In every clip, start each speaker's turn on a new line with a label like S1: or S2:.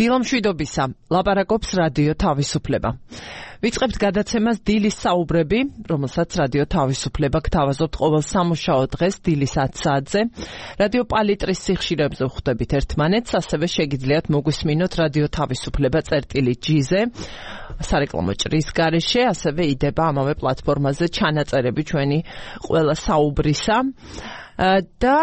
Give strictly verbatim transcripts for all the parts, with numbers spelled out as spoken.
S1: დილამშვიდობისა, ლაპარაკობს რადიო თავისუფლება. ვიწყებთ გადაცემას დილის საუბრები, რომელსაც რადიო თავისუფლება გთავაზობთ ყოველ სამუშაო დღეს დილის ათ საათზე. რადიო პალიტრის სიხშირეებზე ვხვდებით ერთმანეთს, ასევე შეგიძლიათ მოგვისმინოთ რადიო თავისუფლება წერტილი ჯიზე, სარეკლამო ჭრის გარეშე, ასევე იდება ამავე პლატფორმაზე ჩანაწერები ჩვენი ყველა საუბრისა. და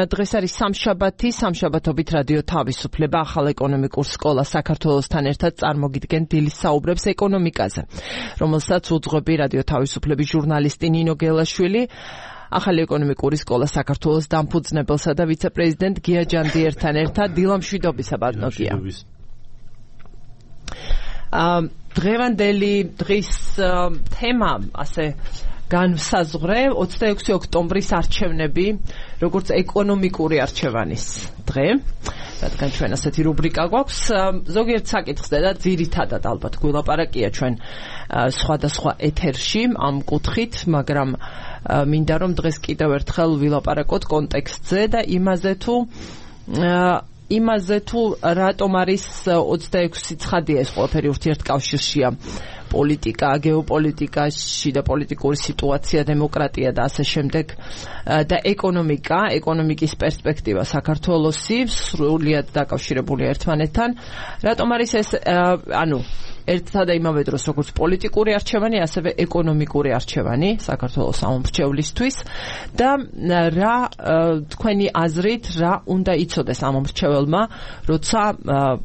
S1: დღეს არის სამშაბათი, სამშაბათობით რადიო თავისუფლება ახალ ეკონომიკურ სკოლა საქართველოსთან ერთად წარმოგიდგენ დილის საუბრებს ეკონომიკაზე, რომელსაც უძღვები რადიო თავისუფლების ჟურნალისტი ნინო გელაშვილი, ახალი ეკონომიკური სკოლა საქართველოს დამფუძნებელსა და ვიცე-პრეზიდენტ გია ჯანდიერთან ერთად. დილამშვიდობისა ბატონო გია. დღევანდელი დღის თემა ასე განსაზღვრე ოცდაექვსი ოქტომბრის არჩევნები, როგორც ეკონომიკური არჩევანის დღე. რადგან ჩვენ ასეთი რუბრიკა გვაქვს, ზოგიერთ საკითხს და ძირითადად ალბათ გვილაპარაკია ჩვენ სხვადასხვა ეთერში ამ კუთხით, მაგრამ მინდა რომ დღეს კიდევ ერთხელ ვილაპარაკოთ კონტექსტზე და იმაზე თუ იმაზე თუ რატომ არის ოცდაექვსი ცხადია ეს ყველაფერი ურთიერთკავშირშია პოლიტიკა, გეოპოლიტიკაში და პოლიტიკური სიტუაცია, დემოკრატია და ასე შემდეგ და ეკონომიკა, ეკონომიკის პერსპექტივა საქართველოსი სრულიად დაკავშირებულია ერთმანეთთან. რატომ არის ეს ანუ ერთად და იმავე დროს როგორც პოლიტიკური არჩევანი, ასევე ეკონომიკური არჩევანი საქართველოს ამომრჩევლისთვის და რა თქვენი აზრით რა უნდა იცოდეს ამომრჩეველმა, როცა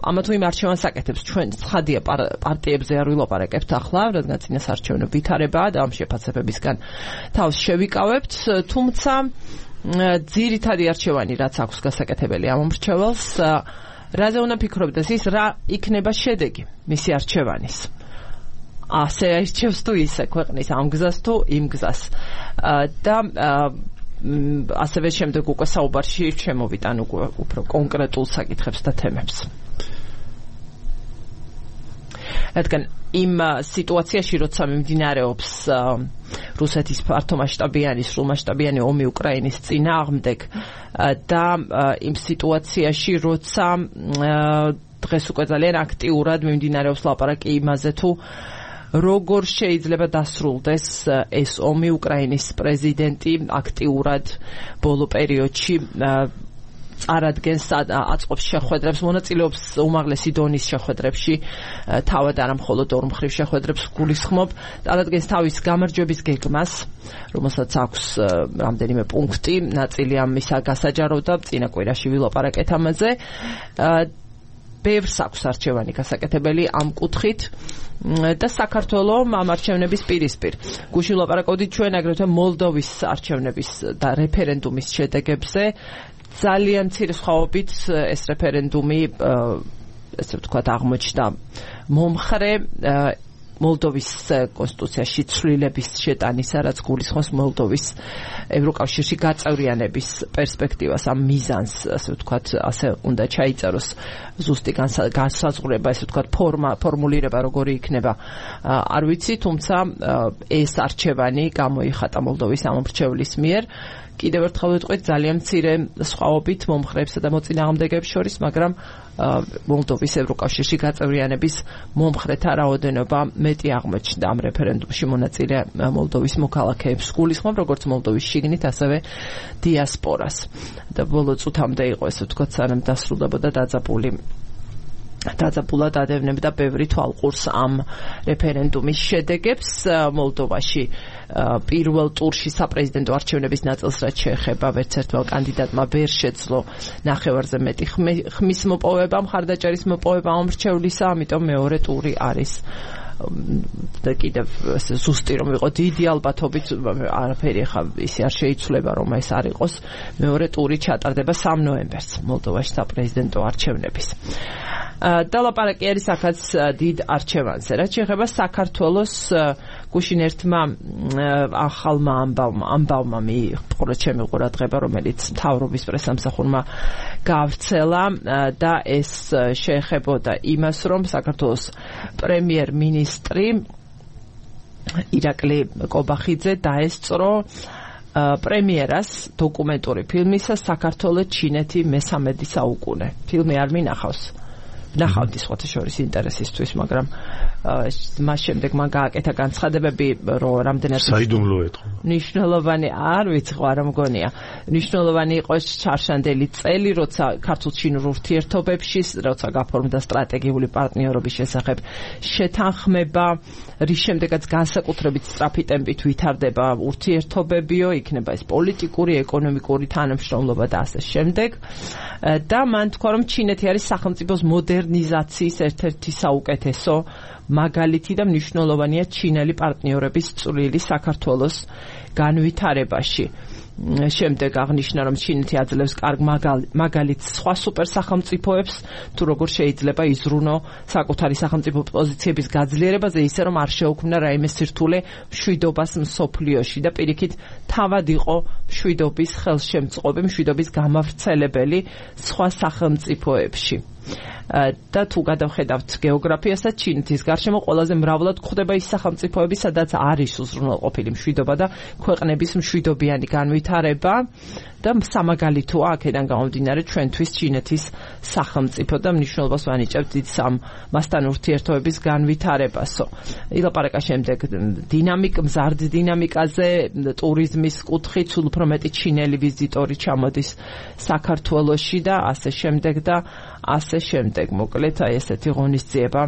S1: ამა თუ იმ არჩევანს აკეთებს. ჩვენ ცხადია პარტიებზე არ ვილაპარაკებთ ახლა, რადგან წინას არჩევნო ვითარებაა და ამ შეფასებებისგან თავს შევიკავებთ, თუმცა ძირითადი არჩევანი რაც აქვს გასაკეთებელი ამომრჩეველს, რაზე უნდა ფიქრობდეს ის, რა იქნება შედეგი მისი არჩევანის. ასე აირჩევს თუ ისე ქვეყნის ამ გზას თუ იმ გზას. და ასევე შემდეგ უკვე საუბარში შემოვიტან უფრო კონკრეტულ საკითხებს და თემებს. რადგან იმ სიტუაციაში, როცა მიმდინარეობს რუსეთის ფართომასშტაბიანი, სრულმასშტაბიანი ომი უკრაინის წინააღმდეგ და იმ სიტუაციაში, როცა დღეს უკვე ძალიან აქტიურად მიმდინარეობს ლაპარაკი იმაზე თუ როგორ შეიძლება დასრულდეს ეს ომი, უკრაინის პრეზიდენტი აქტიურად ბოლო პერიოდში წარადგენს აწყობს შეხვედრებს, მონაწილეობს უმაღლესი დონის შეხვედრებში, თავად არა მხოლოდ ორ მხრივ შეხვედრებს გულისხმობ, წარადგენს თავის გამარჯვების გეგმას, რომელსაც აქვს რამდენიმე პუნქტი, ნაწილი ამისა გასაჯაროვდა, წინა კვირაში ვილაპარაკეთ ამაზე. ბევრს აქვს არჩევანი გასაკეთებელი ამ კუთხით და საქართველოს ამ არჩევნების პირისპირ. გუშინ ვილაპარაკობდით ჩვენ აგრეთვე მოლდოვის არჩევნების და რეფერენდუმის შედეგებზე. ძალიან მცირე სხვაობით ეს რეფერენდუმი, ესე ვთქვათ, აღმოჩნდა მომხრე მოლდოვის კონსტიტუციაში ცვლილების შეტანისა, რაც გულისხმობს მოლდოვის ევროკავშირში გაწევრიანების პერსპექტივას, ამ მიზანს, ასე ვთქვათ, ასე უნდა ჩაიწეროს ზუსტი განსაზღვრება, ესე ვთქვათ, ფორმა, ფორმულირება როგორი იქნება, არ ვიცი, თუმცა ეს არჩევანი გამოიხატა მოლდოვის ამომრჩევლის მიერ. კიდევ ერთხელ ვიტყვით, ძალიან მცირე სხვაობით მომხრეებსა და მოწინააღმდეგეებს შორის, მაგრამ მოლდოვის ევროკავშირში გაწევრიანების მომხრეთა რაოდენობა მეტი აღმოჩნდა ამ რეფერენდუმში მონაწილე მოლდოვის მოქალაქეებს გულისხმობ, როგორც მოლდოვის შიგნით, ასევე დიასპორას. და ბოლო წუთამდე იყო, ესე ვთქვათ, სანამ დასრულდებოდა დაძაბული დაძაბულად ადევნებდა ბევრი თვალყურს ამ რეფერენდუმის შედეგებს. მოლდოვაში პირველ ტურში საპრეზიდენტო არჩევნების ნაწილს რაც შეეხება, ვერც ერთმა კანდიდატმა ვერ შეძლო ნახევარზე მეტი ხმის მოპოვება, მხარდაჭერის მოპოვება ამომრჩევლისა, ამიტომ მეორე ტური არის და კიდევ ზუსტი რომ იყო დიდი ალბათობით არაფერი ხა ისე არ შეიცვლება რომ ეს არ იყოს. მეორე ტური ჩატარდება სამ ნოემბერს მოლდოვაში საპრეზიდენტო არჩევნების. და ლაპარაკი არის აქაც დიდ არჩევანზე. რაც შეეხება საქართველოს, გუშინ ერთმა ახალმა ამბავმა ამბავმა მიიღო ჩემი ყურადღება, რომელიც მთავრობის პრესამსახურმა გავრცელა და ეს შეეხებოდა იმას, რომ საქართველოს პრემიერ-მინისტრი ირაკლი კობახიძე დაესწრო პრემიერას დოკუმენტური ფილმისა საქართველო ჩინეთი მესამედი საუკუნე. ფილმი არ მინახავს. ვნახავდი სხვათა შორის ინტერესისთვის, მაგრამ მას შემდეგ მან გააკეთა განცხადებები, რომ რამდენად
S2: საიდუმლო ეთქო.
S1: ნიშნულოვანი არ ვიცი ხო არ მგონია. ნიშნულოვანი იყო ჩარშანდელი წელი, როცა ქართულ-ჩინურ ურთიერთობებში, როცა გაფორმდა სტრატეგიული პარტნიორობის შესახებ შეთანხმება, რის შემდეგაც განსაკუთრებით სწრაფი ტემპით ვითარდება ურთიერთობებიო, იქნება ეს პოლიტიკური, ეკონომიკური თანამშრომლობა და ასე შემდეგ. და მან თქვა, რომ ჩინეთი არის სახელმწიფოს მოდერნიზაციის ერთ-ერთი საუკეთესო მაგალითი და მნიშვნელოვანია ჩინელი პარტნიორების წვლილი საქართველოს განვითარებაში. შემდეგ აღნიშნა, რომ ჩინეთი აძლევს კარგ მაგალითს სხვა სუპერსახელმწიფოებს, თუ როგორ შეიძლება იზრუნო საკუთარი სახელმწიფო პოზიციების გაძლიერებაზე, ისე რომ არ შეუქმნა რაიმე სირთულე მშვიდობას მსოფლიოში და პირიქით თავად იყო მშვიდობის ხელშემწყობი, მშვიდობის გამავრცელებელი სხვა სახელმწიფოებში. და თუ გადავხედავთ გეოგრაფიასაც, ჩინეთის გარშემო ყველაზე მრავლად გვხვდება ის სახელმწიფოები, სადაც არის უზრუნველყოფილი მშვიდობა და ქვეყნების მშვიდობიანი განვითარება და სამაგალითოა აქედან გამომდინარე ჩვენთვის ჩინეთის სახელმწიფო და მნიშვნელობას ვანიჭებთ დიდ მასთან ურთიერთობების განვითარებასო. ილაპარაკა შემდეგ დინამიკ, მზარდ დინამიკაზე, ტურიზმის კუთხით, სულ უფრო მეტი ჩინელი ვიზიტორი ჩამოდის საქართველოში და ასე შემდეგ და ასე შემდეგ. მოკლედ აი ესეთი ღონისძიება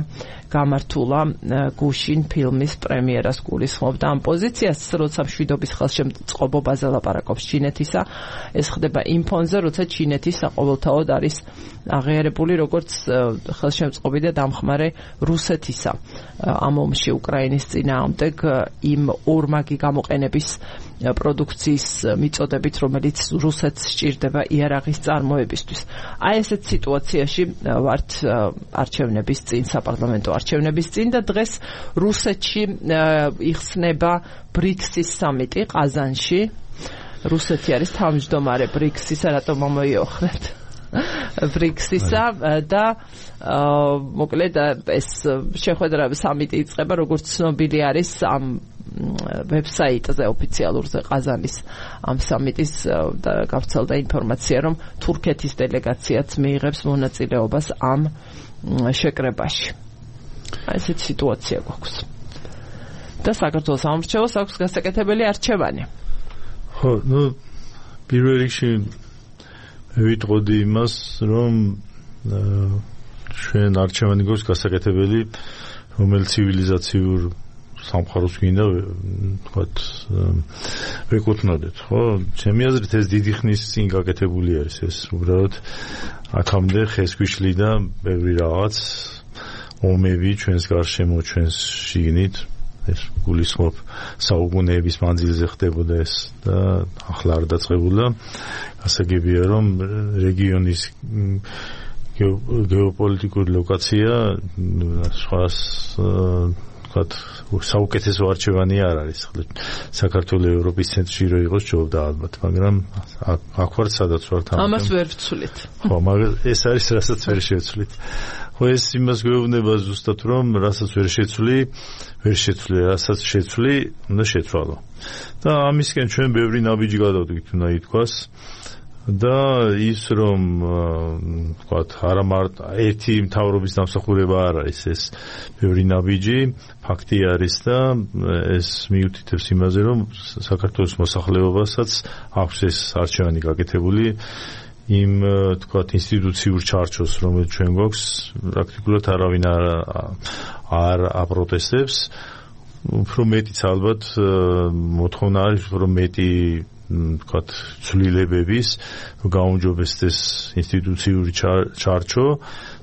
S1: გამართულა გუშინ ფილმის პრემიერას გულისხმობდა ამ პოზიციას, როცა მშვიდობის ხელშემწყობაზე ლაპარაკობს ჩინეთისა. ეს ხდება იმ ფონზე, როცა ჩინეთი საყოველთაოდ არის აღიარებული როგორც ხელშემწყობი და დამხმარე რუსეთისა ამ ომში უკრაინის წინააღმდეგ იმ ორმაგი გამოყენების პროდუქციის მიწოდებით, რომელიც რუსეთს სჭირდება იარაღის წარმოებისთვის. აი ესეთ სიტუაციაში ვართ არჩევნების წინ, საპარლამენტო არჩევნების წინ და დღეს რუსეთში იხსნება ბრიქსის სამიტი ყაზანში. რუსეთი არის თავმჯდომარე ბრიქსისა, რატომ მომოიოხრეთ ბრიქსისა და მოკლედ ეს შეხვედრა სამიტი იწყება, როგორც ცნობილი არის ამ ვებსაიტზე ოფიციალურზე ყაზანის ამ სამიტის და გავრცელდა ინფორმაცია, რომ თურქეთის დელეგაციაც მიიღებს მონაწილეობას ამ შეკრებაში. ესეთი სიტუაცია გვაქვს. და საქართველოს სამრჩევლოს აქვს გასაკეთებელი არჩევანი.
S2: ხო, ну, პირველ რიგში ვიტყოდი იმას, რომ ჩვენ არჩევანი გვაქვს გასაკეთებელი, რომელიც ცივილიზაციურ სამყაროს გინდა ვთქვათ ვეკუთვნოდეთ, ხო? ჩემი აზრით ეს დიდი ხნის წინ გაკეთებული არის ეს უბრალოდ აქამდე ხესგვიშლი და ბევრი რაღაც ომები ჩვენს გარშემო, ჩვენს შიგნით ეს გულისხმობ საუკუნეების მანძილზე ხდებოდა ეს და ახლა არ დაწყებულა. გასაგებია, რომ რეგიონის გეოპოლიტიკური ლოკაცია სხვას ვთქვათ საუკეთესო არჩევანი არ არის. საქართველოს ევროპის ცენტრში რო იყოს ჯობდა ალბათ, მაგრამ აქ ვართ სადაც ვართ ამიტომ.
S1: ამას ვერ ვცვლით.
S2: ხო, მაგრამ ეს არის რასაც ვერ შევცვლით. ხო, ეს იმას გვეუბნება ზუსტად, რომ რასაც ვერ შეცვლი, ვერ შეცვლი, რასაც შეცვლი, უნდა შეცვალო. და ამისკენ ჩვენ ბევრი ნაბიჯი გადავდგით, უნდა ითქვას. და ის რომ ვთქვათ არა მარტო ერთი მთავრობის დამსახურება არ არის ეს ბევრი ნაბიჯი, ფაქტი არის და ეს მიუთითებს იმაზე, რომ საქართველოს მოსახლეობასაც აქვს ეს არჩევანი გაკეთებული იმ თქვათ ინსტიტუციურ ჩარჩოს, რომელიც ჩვენ გვაქვს, პრაქტიკულად არავინ არ არ აპროტესტებს. უფრო მეტიც ალბათ მოთხოვნა არის, უფრო მეტი თქვათ ცვლილებების გაუმჯობესდეს ინსტიტუციური ჩარჩო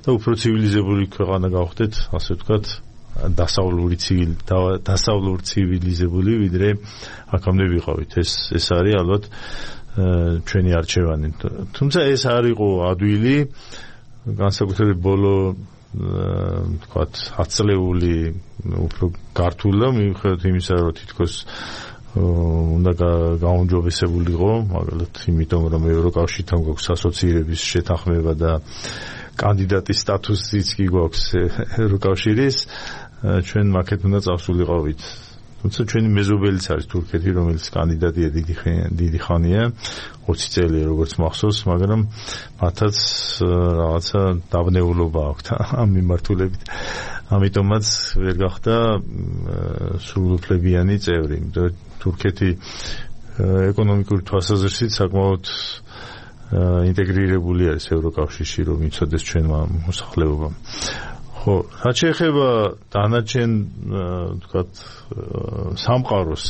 S2: და უფრო ცივილიზებული ქვეყანა გავხდეთ, ასე ვთქვათ, დასავლური ცივილი დასავლურ ცივილიზებული, ვიდრე აქამდე ვიყავით. ეს ეს არის ალბათ ჩვენი არჩევანი. თუმცა ეს არ იყო ადვილი, განსაკუთრებით ბოლო თქვათ ათწლეული უფრო გართულა, მიუხედავად იმისა, რომ თითქოს უნდა გაუმჯობესებულიყო, მაგალითად იმიტომ, რომ ევროკავშირთან გვაქვს ასოცირების შეთანხმება და კანდიდატის სტატუსიც კი გვაქვს ევროკავშირის, ჩვენ მაქეთ უნდა წავსულიყავით თუმცა ჩვენი მეზობელიც არის თურქეთი, რომელიც კანდიდატია დიდი დიდი ხანია, ოცი წელი როგორც მახსოვს, მაგრამ მათაც რაღაცა დაბნეულობა აქვთ ამ მიმართულებით. ამიტომაც ვერ გახდა სრულუფლებიანი წევრი. თურქეთი ეკონომიკური თვალსაზრისით საკმაოდ ინტეგრირებული არის ევროკავშირში, რომ იცოდეს ჩვენმა მოსახლეობამ. ხო, რაც შეეხება დანარჩენ, ვთქვათ, სამყაროს,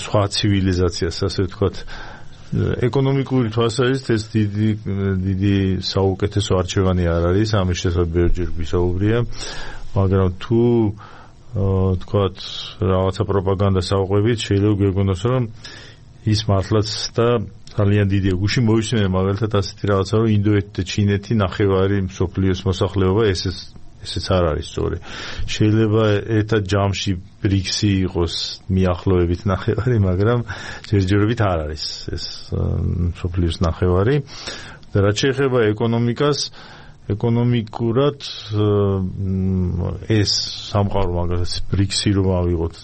S2: სხვა ცივილიზაციას, ასე ვთქვათ, ეკონომიკური თვალსაზრისით ეს დიდი დიდი საუკეთესო არჩევანი არ არის, ამის შესაძლებლად ბევრჯერ გვისაუბრია, მაგრამ თუ ვთქვათ, რაღაცა პროპაგანდას ავყვებით, შეიძლება გვეგონოს, რომ ის მართლაც და ძალიან დიდია. გუში მოვისმენთ მაგალითად ასეთი რაღაცა, რომ ინდოეთი და ჩინეთი ნახევარი მსოფლიოს მოსახლეობა, ესეც ესეც არ არის სწორი. შეიძლება ერთად ჯამში ბრიქსი იყოს მიახლოებით ნახევარი, მაგრამ ჯერჯერობით არ არის ეს მსოფლიოს ნახევარი. და რაც შეეხება ეკონომიკას, ეკონომიკურად ეს სამყარო მაგალითად ბრიქსი რომ ავიღოთ,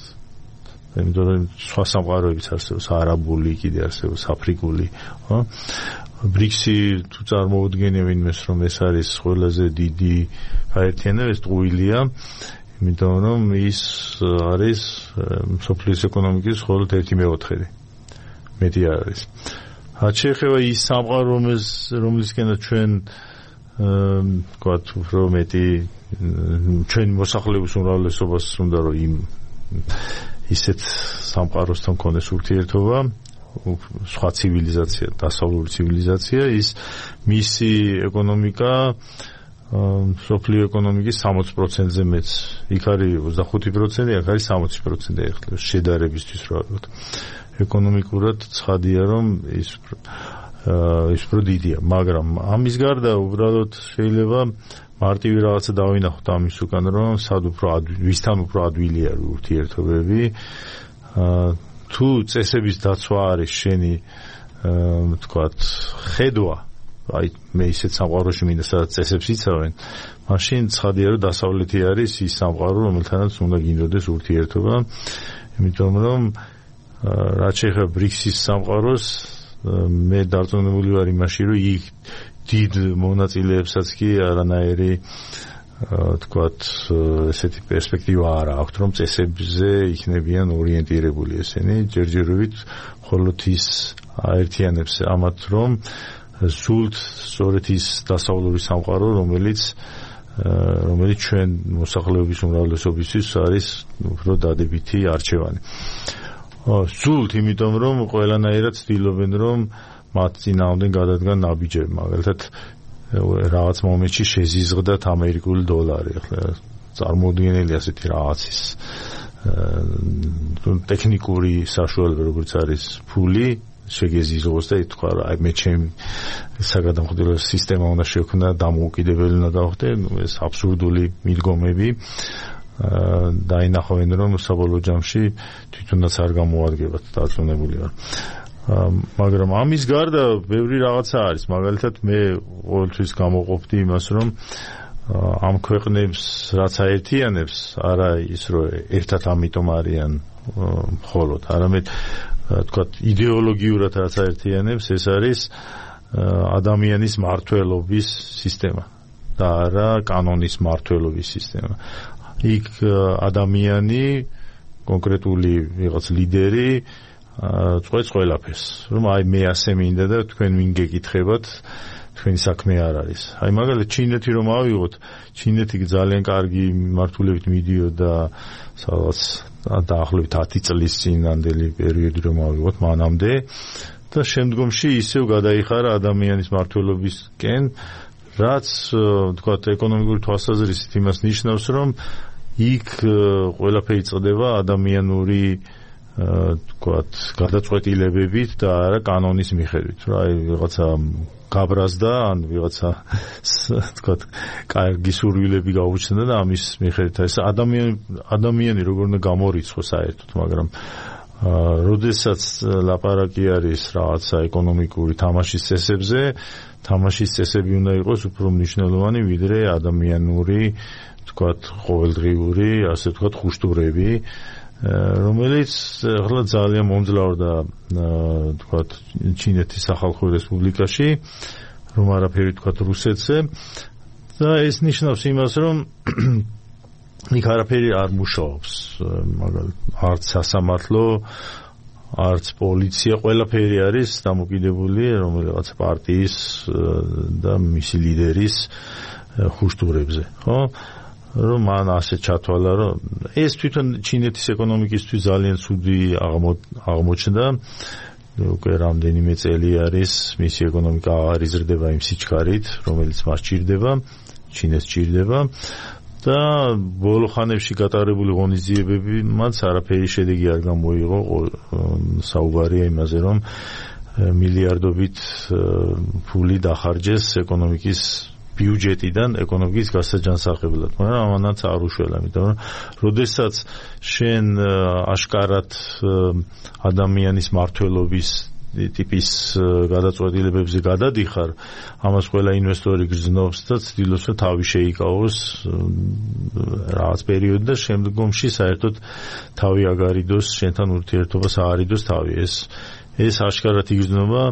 S2: იმიტომ რომ სხვა სამყაროებიც არსებობს, არაბული, კიდე არსებობს აფრიკული, ხო? ბრიქსი თუ წარმოუდგენია ვინმეს, რომ ეს არის ყველაზე დიდი გაერთიანება, ეს ტყუილია, იმიტომ რომ ის არის მსოფლიოს ეკონომიკის მხოლოდ ერთი მეოთხედი. მეტი არ არის. რაც შეეხება ის სამყარო, რომლისკენაც ჩვენ ვთქვათ, უფრო მეტი ჩვენი მოსახლეობის უმრავლესობას უნდა რომ იმ ისეთ სამყაროსთან კონდეს ურთიერთობა, სხვა ცივილიზაცია, დასავლური ცივილიზაცია, ის მისი ეკონომიკა მსოფლიო ეკონომიკის სამოცი პროცენტზე მეც. იქ არის ოცდახუთი პროცენტი, აქ არის სამოცი პროცენტი ახლა შედარებისთვის რა ვთქვათ. ეკონომიკურად ცხადია, რომ ის ის უფრო დიდია, მაგრამ ამის გარდა უბრალოდ შეიძლება მარტივი რაღაცა დავინახოთ ამის უკან, რომ სად უფრო ვისთან უფრო ადვილი არის ურთიერთობები. თუ წესების დაცვა არის შენი ვთქვათ ხედვა, აი მე ისეთ სამყაროში მინდა სადაც წესებს იცავენ, მაშინ ცხადია რომ დასავლეთი არის ის სამყარო, რომელთანაც უნდა გინდოდეს ურთიერთობა, იმიტომ რომ რაც შეეხება ბრიქსის სამყაროს, მე დარწმუნებული ვარ იმაში, რომ იქ დიდ მონაწილეებსაც კი არანაირი ვთქვათ ესეთი პერსპექტივა არ აქვს, რომ წესებზე იქნებიან ორიენტირებული ესენი, ჯერჯერობით მხოლოდ ის აერთიანებს ამათ, რომ სულთ სწორედ ის დასავლური სამყარო, რომელიც რომელიც ჩვენ მოსახლეობის უმრავლესობისთვის არის უფრო დადებითი არჩევანი. სულთ, იმიტომ რომ ყველანაირად ცდილობენ, რომ მათ წინააღმდეგ გადადგან ნაბიჯები, მაგალითად რაღაც მომენტში შეზიზღდათ ამერიკული დოლარი, ახლა წარმოუდგენელი ასეთი რაღაცის ტექნიკური საშუალება, როგორც არის ფული, შეგეზიზღოს და ითქვა, აი მე ჩემი საგადამხდელო სისტემა უნდა შევქმნა, დამოუკიდებელი უნდა გავხდე, ეს აბსურდული მიდგომები დაინახავენ, რომ საბოლოო ჯამში თვითონაც არ გამოადგებათ, დარწმუნებული ვარ. მაგრამ ამის გარდა ბევრი რაღაცა არის, მაგალითად მე ყოველთვის გამოყოფდი იმას, რომ ამ ქვეყნებს რაც აერთიანებს, არა ის რომ ერთად ამიტომ არიან მხოლოდ, არამედ თქვათ იდეოლოგიურად რაც აერთიანებს, ეს არის ადამიანის მართლობის სისტემა და არა კანონის მართლობის სისტემა. იქ ადამიანი, კონკრეტული ვიღაც ლიდერი წყვეტს ყველაფერს, რომ აი მე ასე მინდა და თქვენ ვინ გეკითხებათ, თქვენი საქმე არ არის. აი მაგალითად ჩინეთი რომ ავიღოთ, ჩინეთი ძალიან კარგი მართულებით მიდიოდა სადღაც დაახლოებით ათი წლის წინანდელი პერიოდი რომ ავიღოთ მანამდე და შემდგომში ისევ გადაიხარა ადამიანის მართლობისკენ, რაც თქვათ ეკონომიკური თვალსაზრისით იმას ნიშნავს, რომ იქ ყველაფერი წდება ადამიანური თქვათ გადაწყვეტილებებით და არა კანონის მიხედვით. აი ვიღაცა გაბრაზდა, ან ვიღაცა თქვათ კარგი სურვილები გაუჩნდა და ამის მიხედვით ეს ადამიანი ადამიანი როგორ უნდა გამორიცხოს საერთოდ, მაგრამ როდესაც ლაპარაკი არის რაღაცა ეკონომიკური თამაშის წესებზე, თამაშის წესები უნდა იყოს უფრო მნიშვნელოვანი ვიდრე ადამიანური თქვათ ყოველდღიური, ასე ვთქვათ, ხუშტურები რომელიც ახლა ძალიან მომძლავრდა თქვათ ჩინეთის სახალხო რესპუბლიკაში, რომ არაფერი თქვათ რუსეთზე და ეს ნიშნავს იმას, რომ იქ არაფერი არ მუშაობს, მაგალითად არც სასამართლო, არც პოლიცია, ყველაფერი არის დამოკიდებული რომელიღაც პარტიის და მისი ლიდერის ხუშტურებზე, ხო? რომ მან ასე ჩათვალა, რომ ეს თვითონ ჩინეთის ეკონომიკისთვის ძალიან ცუდი აღმოჩნდა. უკვე რამდენიმე წელი არის მისი ეკონომიკა აღარ იზრდება იმ სიჩქარით, რომელიც მას ჭირდება, ჩინეს ჭირდება და ბოლო ხანებში გატარებული ღონისძიებები მათ არაფერი შედეგი არ გამოიღო. საუბარია იმაზე, რომ მილიარდობით ფული დახარჯეს ეკონომიკის ბიუჯეტიდან ეკონომიკის გასაჯანსაღებლად, მაგრამ ამანაც არ უშველა, იმიტომ რომ როდესაც შენ აშკარად ადამიანის მართლობის ტიპის გადაწყვეტილებებზე გადადიხარ, ამას ყველა ინვესტორი გრძნობს და ცდილობს, რომ თავი შეიკავოს რაღაც პერიოდი და შემდგომში საერთოდ თავი აგარიდოს, შენთან ურთიერთობას აარიდოს თავი. ეს ეს აშკარად იგრძნობა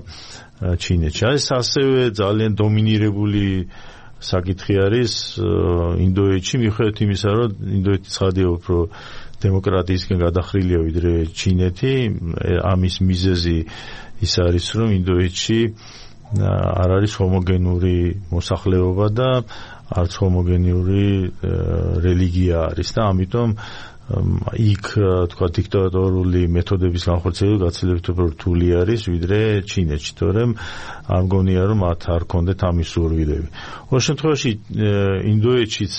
S2: ჩინეთში. ეს ასევე ძალიან დომინირებული საკითხი არის ინდოეთში, მიუხედავად იმისა, რომ ინდოეთი ცხადია უფრო დემოკრატიისკენ გადახრილია ვიდრე ჩინეთი. ამის მიზეზი ის არის, რომ ინდოეთში არ არის ჰომოგენური მოსახლეობა და არც ჰომოგენური რელიგია არის და ამიტომ იქ თქვა დიქტატორული მეთოდების განხორციელება გაცილებით უფრო რთული არის ვიდრე ჩინეთში, თორემ არ მგონია რომ მათ არ ქონდეთ ამის სურვილები. ყოველ შემთხვევაში ინდოეთშიც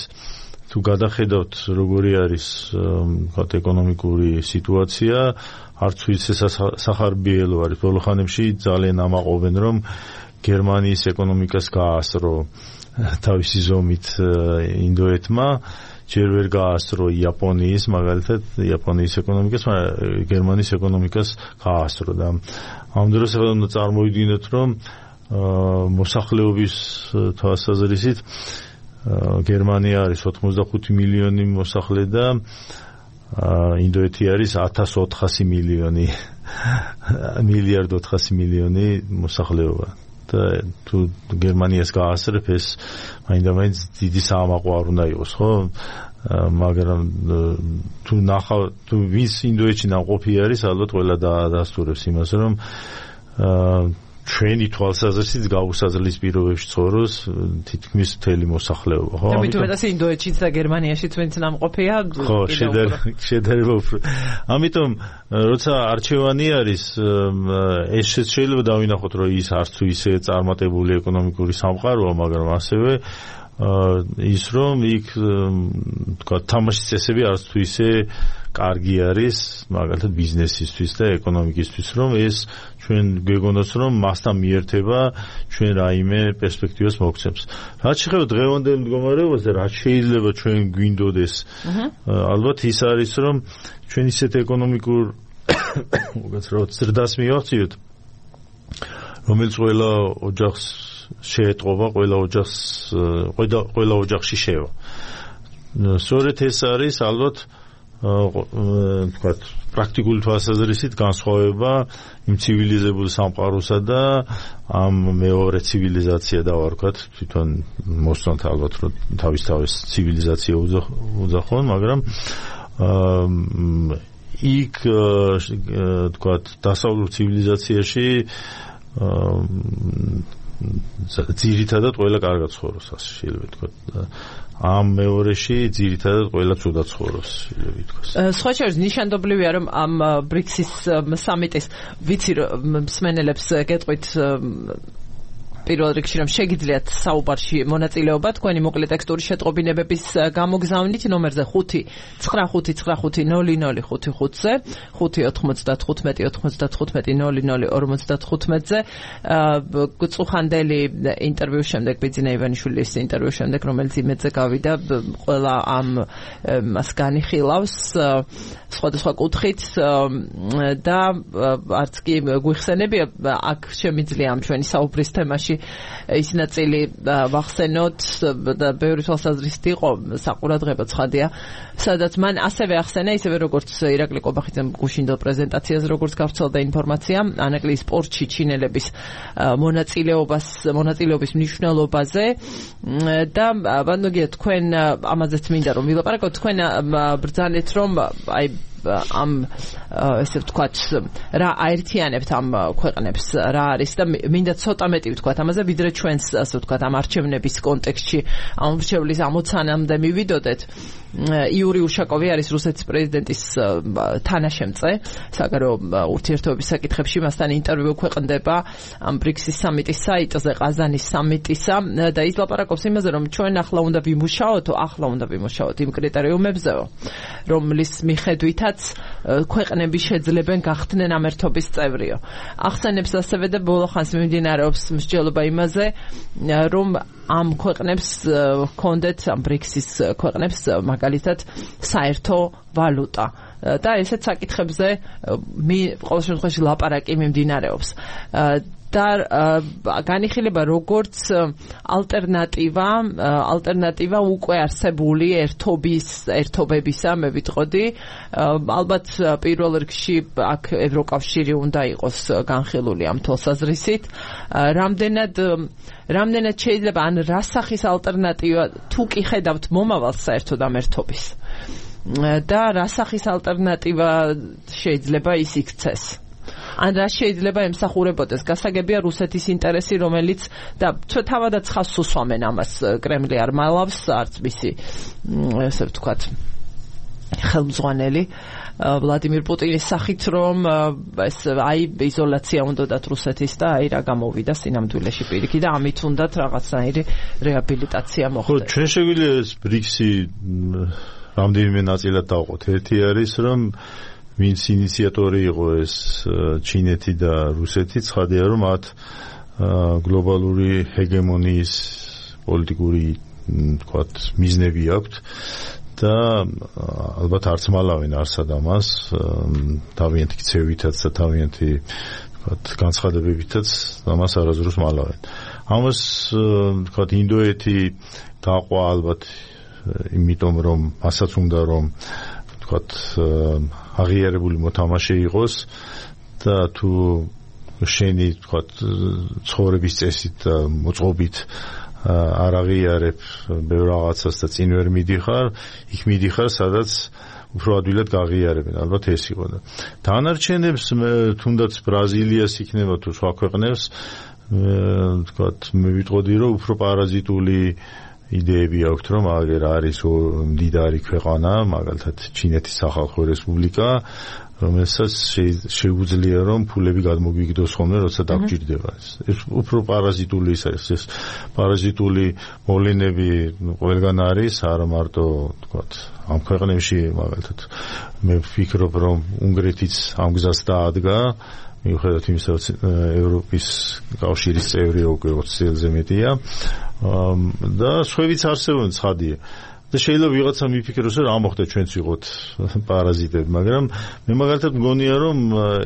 S2: თუ გადახედავთ როგორი არის თქვა ეკონომიკური სიტუაცია, არც ვიცი სახარბიელო არის. ბოლო ხანებში ძალიან ამაყობენ რომ გერმანიის ეკონომიკას გაასწრო თავისი ზომით ინდოეთმა, ჯერ ვერ გაასწრო იაპონიის, მაგალითად იაპონიის ეკონომიკას, მაგრამ გერმანიის ეკონომიკას გაასწრო და ამ დროს უნდა წარმოვიდგინოთ, რომ მოსახლეობის თვალსაზრისით გერმანია არის ოცდახუთი მილიონი მოსახლე და ინდოეთი არის ათას ოთხასი მილიონი მილიარდ ოთხასი მილიონი მოსახლეობა. და თუ გერმანიას გაასწრებ, ეს მაინდა-მაინც დიდი საამაყო არ უნდა იყოს, ხო? მაგრამ თუ ნახავ, თუ ვის ინდოეთში ნამყოფი არის, ალბათ ყველა დაასტურებს იმას, რომ ჩვენი თვალსაზრისით გაუსაძლის პირობებში ცხოვრობს თითქმის მთელი მოსახლეობა, ხო?
S1: და მithumetas ინდოეთშიც და გერმანიაშიც ვინც ნამყოფია,
S2: ხო, შედარება უფრო. ამიტომ როცა არჩევანი არის, ეს შეიძლება დავინახოთ, რომ ის არც თუ ისე წარმატებული ეკონომიკური სამყაროა, მაგრამ ასევე ის რომ იქ თქვა თამაშის წესები არც თუ ისე კარგი არის, მაგალითად ბიზნესისთვის და ეკონომიკისთვის, რომ ეს ჩვენ გვეგონოს, რომ მასთან მიერთება ჩვენ რაიმე პერსპექტივას მოგცემს. რაც შეეხება დღევანდელ მდგომარეობაზე, რაც შეიძლება ჩვენ გვინდოდეს, ალბათ ის არის, რომ ჩვენ ისეთ ეკონომიკურ უკაცრავად ზრდას მივახციოთ, რომელიც ყველა ოჯახს შეეტყობა, ყველა ოჯახს ყველა ყველა ოჯახში შევა. სწორედ ეს არის ალბათ თქვათ პრაქტიკული თვალსაზრისით განსხვავება იმ ცივილიზებულ სამყაროსა და ამ მეორე ცივილიზაცია დავარქვათ, თვითონ მოსწონთ ალბათ რომ თავის თავის ცივილიზაცია უძახონ, მაგრამ იქ თქვათ დასავლურ ცივილიზაციაში ძირითადად ყველა კარგად ცხოვრობს, ასე შეიძლება ვთქვათ. ამ მეორეში ძირითადად ყველა ცუდად ცხოვრობს, შეიძლება ითქვას.
S1: სხვა შორის ნიშანდობლივია, რომ ამ ბრიქსის სამიტის ვიცი მსმენელებს გეტყვით პირველ რიგში რომ შეგიძლიათ საუბარში მონაწილეობა თქვენი მოკლე ტექსტური შეტყობინებების გამოგზავნით ნომერზე ხუთი ცხრა ხუთი ცხრა ხუთი ნული ნული ხუთი ხუთზე ხუთი ოთხმოცდათხუთმეტი ოთხმოცდათხუთმეტი ნული ნული ორმოცდათხუთმეტზე წუხანდელი ინტერვიუს შემდეგ ბიძინა ივანიშვილის ინტერვიუს შემდეგ რომელიც იმედზე გავიდა ყველა ამ მას განიხილავს სხვადასხვა კუთხით და არც კი გვიხსენებია აქ შემიძლია ამ ჩვენი საუბრის თემაში ის ნაწილი ვახსენოთ და ბევრი თვალსაზრისით იყო საყურადღებო ცხადია, სადაც მან ასევე ახსენა ისევე როგორც ირაკლი ყობახიძემ გუშინდელ პრეზენტაციაზე როგორც გავრცელდა ინფორმაცია ანაკლის სპორტში ჩინელების მონაწილეობას მონაწილეობის მნიშვნელობაზე და ბანოგია თქვენ ამაზეც მინდა რომ ვილაპარაკოთ თქვენ ბრძანეთ რომ აი ამ ესე ვთქვათ რა აერთიანებთ ამ ქვეყნებს რა არის და მინდა ცოტა მეტი ვთქვათ ამაზე ვიდრე ჩვენს ასე ვთქვათ ამ არჩევნების კონტექსტში ამ რჩევლის ამოცანამდე მივიდოდეთ იური უშაკოვი არის რუსეთის პრეზიდენტის თანაშემწე საგარეო ურთიერთობების საკითხებში მასთან ინტერვიუ ქვეყნდება ამ ბრიქსის სამიტის საიტზე ყაზანის სამიტისა და ის ლაპარაკობს იმაზე რომ ჩვენ ახლა უნდა ვიმუშაოთ ახლა უნდა ვიმუშაოთ იმ კრიტერიუმებზეო რომლის მიხედვითაც ქვეყნები შეძლებენ გახდნენ ამ ერთობის წევრიო. ახსენებს ასევე და ბოლოხანს მიმდინარეობს მსჯელობა იმაზე, რომ ამ ქვეყნებს ჰქონდეთ ამ ბრიქსის ქვეყნებს მაგალითად საერთო ვალუტა. და ესეც საკითხებზე ყოველ შემთხვევაში ლაპარაკი მიმდინარეობს. და განიხილება როგორც ალტერნატივა ალტერნატივა უკვე არსებული ერთობის ერთობებისა მე ვიტყოდი ალბათ პირველ რიგში აქ ევროკავშირი უნდა იყოს განხილული ამ თვალსაზრისით რამდენად რამდენად შეიძლება ან რა სახის ალტერნატივა თუ კი ხედავთ მომავალს საერთოდ ამ ერთობის და რა სახის ალტერნატივა შეიძლება ის იქცეს ან რა შეიძლება ემსახურებოდეს გასაგებია რუსეთის ინტერესი რომელიც და თავადაც ხას უსვამენ ამას კრემლი არ მალავს არც მისი ესე ვთქვათ ხელმძღვანელი ვლადიმირ პუტინის სახით რომ ეს აი იზოლაცია უნდათ რუსეთის და აი რა გამოვიდა სინამდვილეში პირიქით და ამით უნდათ რაღაცნაირი რეაბილიტაცია მოხდეს.
S2: ხო ჩვენ შეგვიძლია ეს ბრიქსი რამდენიმე ნაწილად დავყოთ. ერთი არის რომ ვინც ინიციატორი იყო ეს ჩინეთი და რუსეთი ცხადია რომ მათ გლობალური ჰეგემონიის პოლიტიკური თქვათ მიზნები აქვთ და ალბათ არც მალავენ არსად ამას თავიანთი ქცევითაც და თავიანთი თქვათ განცხადებებითაც ამას არასდროს მალავენ ამას თქვათ ინდოეთი დაყვა ალბათ იმიტომ რომ მასაც უნდა რომ თქვათ აღიარებული მოთამაშე იყოს და თუ შენი თქვათ ცხოვრების წესით და მოწყობით არ აღიარებ ბევრ რაღაცას და წინ ვერ მიდიხარ იქ მიდიხარ სადაც უფრო ადვილად გაღიარებენ ალბათ ეს იყო და დანარჩენებს თუნდაც ბრაზილიას იქნება თუ სხვა ქვეყნებს თქვათ მე ვიტყოდი რომ უფრო პარაზიტული იდეები აქვთ რომ აგერ არის მდიდარი ქვეყანა მაგალითად ჩინეთის სახალხო რესპუბლიკა რომელსაც შეუძლია რომ ფულები გადმოგვიგდოს ხოლმე როცა დაგჭირდება ეს უფრო პარაზიტული ის არის ეს პარაზიტული მოვლენები ყველგან არის არა მარტო თქვათ ამ ქვეყნებში მაგალითად მე ვფიქრობ რომ უნგრეთიც ამ გზას დაადგა მიუხედავად იმისა რომ ევროპის კავშირის წევრი უკვე ოცი წელზე მეტია და სხვაებიც არსებობენ ცხადია და შეიძლება ვიღაცა მიფიქროს რომ რა მოხდა ჩვენც ვიყოთ პარაზიტები მაგრამ მე მაგალითად მგონია რომ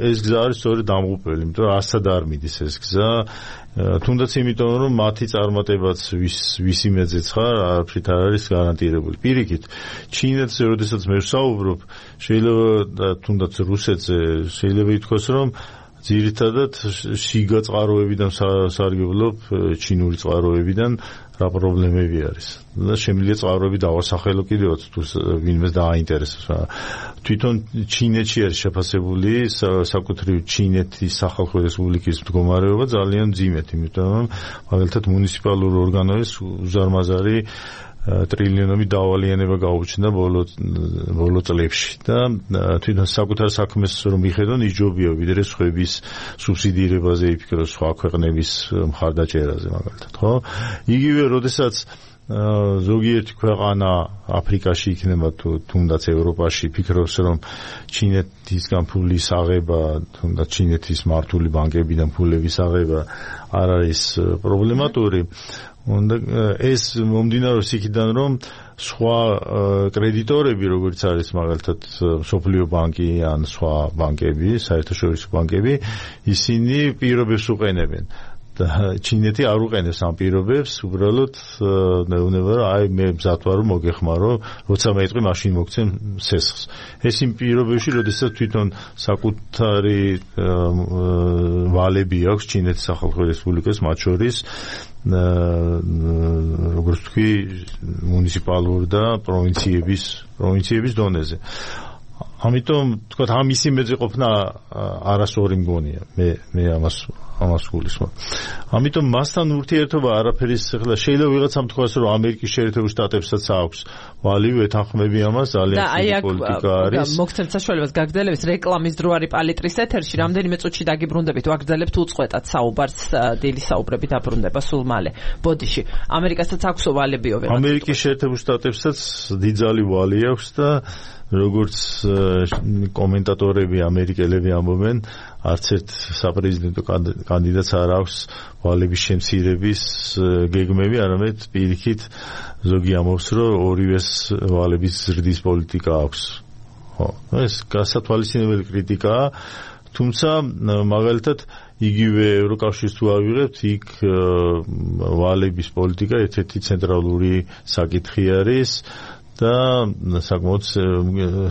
S2: ეს გზა არის სწორედ დამღუპველი იმიტომ რომ არცად არ მიდის ეს გზა თუნდაც იმიტომ რომ მათი წარმატებაც ვის ვის იმედზეც ხარ არაფრით არ არის გარანტირებული პირიქით ჩინეთზე როდესაც მე ვსაუბრობ შეიძლება თუნდაც რუსეთზე შეიძლება ითქვას რომ ძირითადად შიგა წყაროებიდან სარგებლობ ჩინური წყაროებიდან რა პრობლემები არის და შემიძლია წყაროები დავასახელო კიდევაც თუ ვინმეს დააინტერესებს თვითონ ჩინეთში არის შეფასებული საკუთრივ ჩინეთის სახალხო რესპუბლიკის მდგომარეობა ძალიან მძიმედ იმიტომ რომ მაგალითად მუნიციპალური ორგანოების უზარმაზარი ტრილიონობით დავალიანება გაუჩნდა ბოლო ბოლო წლებში და თვითონ საკუთარ საქმეს რომ მიხედონ იჯობია ვიდრე სხვების სუბსიდირებაზე იფიქროს სხვა ქვეყნების მხარდაჭერაზე მაგალითად ხო იგივე როდესაც ზოგიერთი ქვეყანა აფრიკაში იქნება თუ თუნდაც ევროპაში ფიქრობს რომ ჩინეთისგან ფულის აღება თუნდაც ჩინეთის მართული ბანკებიდან ფულების აღება არ არის პრობლემატური უნდა ეს მომდინარეობს იქიდან რომ სხვა კრედიტორები როგორც არის მაგალითად სოფლიო ბანკი ან სხვა ბანკები საერთაშორისო ბანკები ისინი პირობებს უყენებენ და ჩინეთი არ უყენებს ამ პირობებს, უბრალოდ მეუბნება რომ აი მე მზად ვარ რომ მოგეხმარო, როცა მეტყვი მაშინ მოგცემ სესხს. ეს იმ პირობებში, როდესაც თვითონ საკუთარი ვალები აქვს ჩინეთის სახალხო რესპუბლიკას, მათ შორის როგორც თქვი მუნიციპალურ და პროვინციების პროვინციების დონეზე. ამიტომ თქვა ამ ისი მეძე ყოფნა არასწორი მგონია. მე მე ამას ამას გულისხმობ. ამიტომ მასთან ურთიერთობა არაფერის ახლა შეიძლება ვიღაცამ თქვას რომ ამერიკის შეერთებულ შტატებსაც აქვს ვალი ვეთანხმები ამას ძალიან ცივი პოლიტიკა არის.
S1: და მოგცემთ საშუალებას გაგრძელებით რეკლამის დრო არის პალიტრის ეთერში რამდენიმე წუთში დაგიბრუნდებით ვაგრძელებთ უწყვეტად საუბარს დილის საუბრები დაბრუნდება სულ მალე. ბოდიში ამერიკასაც აქვს ვალებიო ვიღაცა.
S2: ამერიკის შეერთებულ შტატებსაც დიდძალი ვალი აქვს და როგორც კომენტატორები ამერიკელები ამბობენ, არც ერთ საპრეზიდენტო კანდიდატს არ აქვს ვალების შემცირების გეგმები, არამედ პირიქით ზოგი ამბობს, რომ ორივეს ვალების ზრდის პოლიტიკა აქვს. ხო, ეს გასათვალისწინებელი კრიტიკაა, თუმცა მაგალითად იგივე ევროკავშირს თუ ავიღებთ, იქ ვალების პოლიტიკა ერთ-ერთი ცენტრალური საკითხი არის. და საკმაოდ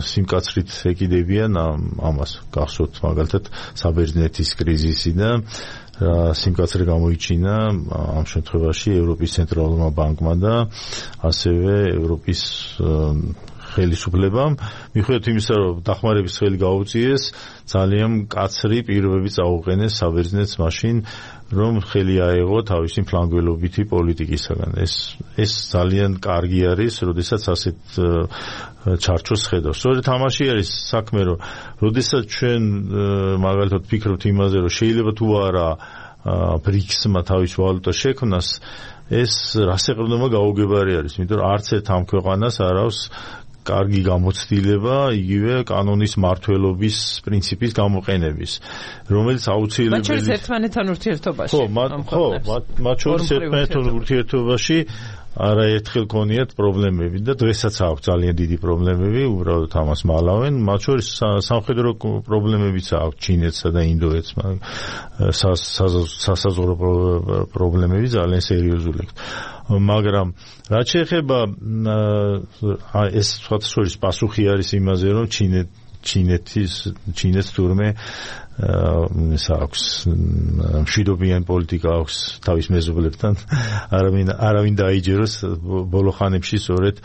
S2: სიმკაცრით ეკიდებიან ამას. გახსოვთ მაგალითად საბერძნეთის კრიზისი და სიმკაცრე გამოიჩინა ამ შემთხვევაში ევროპის ცენტრალურმა ბანკმა და ასევე ევროპის ხელისუფლებამ, მიუხედავად იმისა, რომ დახმარების ხელი გაუწიეს, ძალიან მკაცრი პირობები წაუყენეს საბერძნეთს მაშინ, რომ ხელი აეღო თავისი ფლანგველობითი პოლიტიკისაგან. ეს ეს ძალიან კარგი არის, როდესაც ასეთ ჩარჩოს ხედავს. სწორედ ამაში არის საქმე, რომ როდესაც ჩვენ მაგალითად ვფიქრობთ იმაზე, რომ შეიძლება თუ არა ბრიქსმა თავის ვალუტა შექმნას, ეს რასაყრდნობა გაუგებარი არის, იმიტომ რომ არც ერთ ამ ქვეყანას არ აქვს კარგი გამოცდილება იგივე კანონის მართლობის პრინციპის გამოყენების, რომელიც აუცილებელი
S1: მათ შორის ერთმანეთთან ურთიერთობაში.
S2: ხო, ხო, მათ შორის ერთმანეთთან ურთიერთობაში არაერთხელ ქონიათ პრობლემები და დღესაც აქვს ძალიან დიდი პრობლემები, უბრალოდ ამას მალავენ. მათ შორის სამხედრო პრობლემებიც აქვს ჩინეთსა და ინდოეთს, სასაზღვრო პრობლემები ძალიან სერიოზული. მაგრამ რაც შეეხება ეს სხვათა შორის პასუხი არის იმაზე, რომ ჩინეთ ჩინეთის ჩინეთს თურმე ეს აქვს მშვიდობიანი პოლიტიკა აქვს თავის მეზობლებთან, არავინ არავინ დაიჯეროს. ბოლო ხანებში სწორედ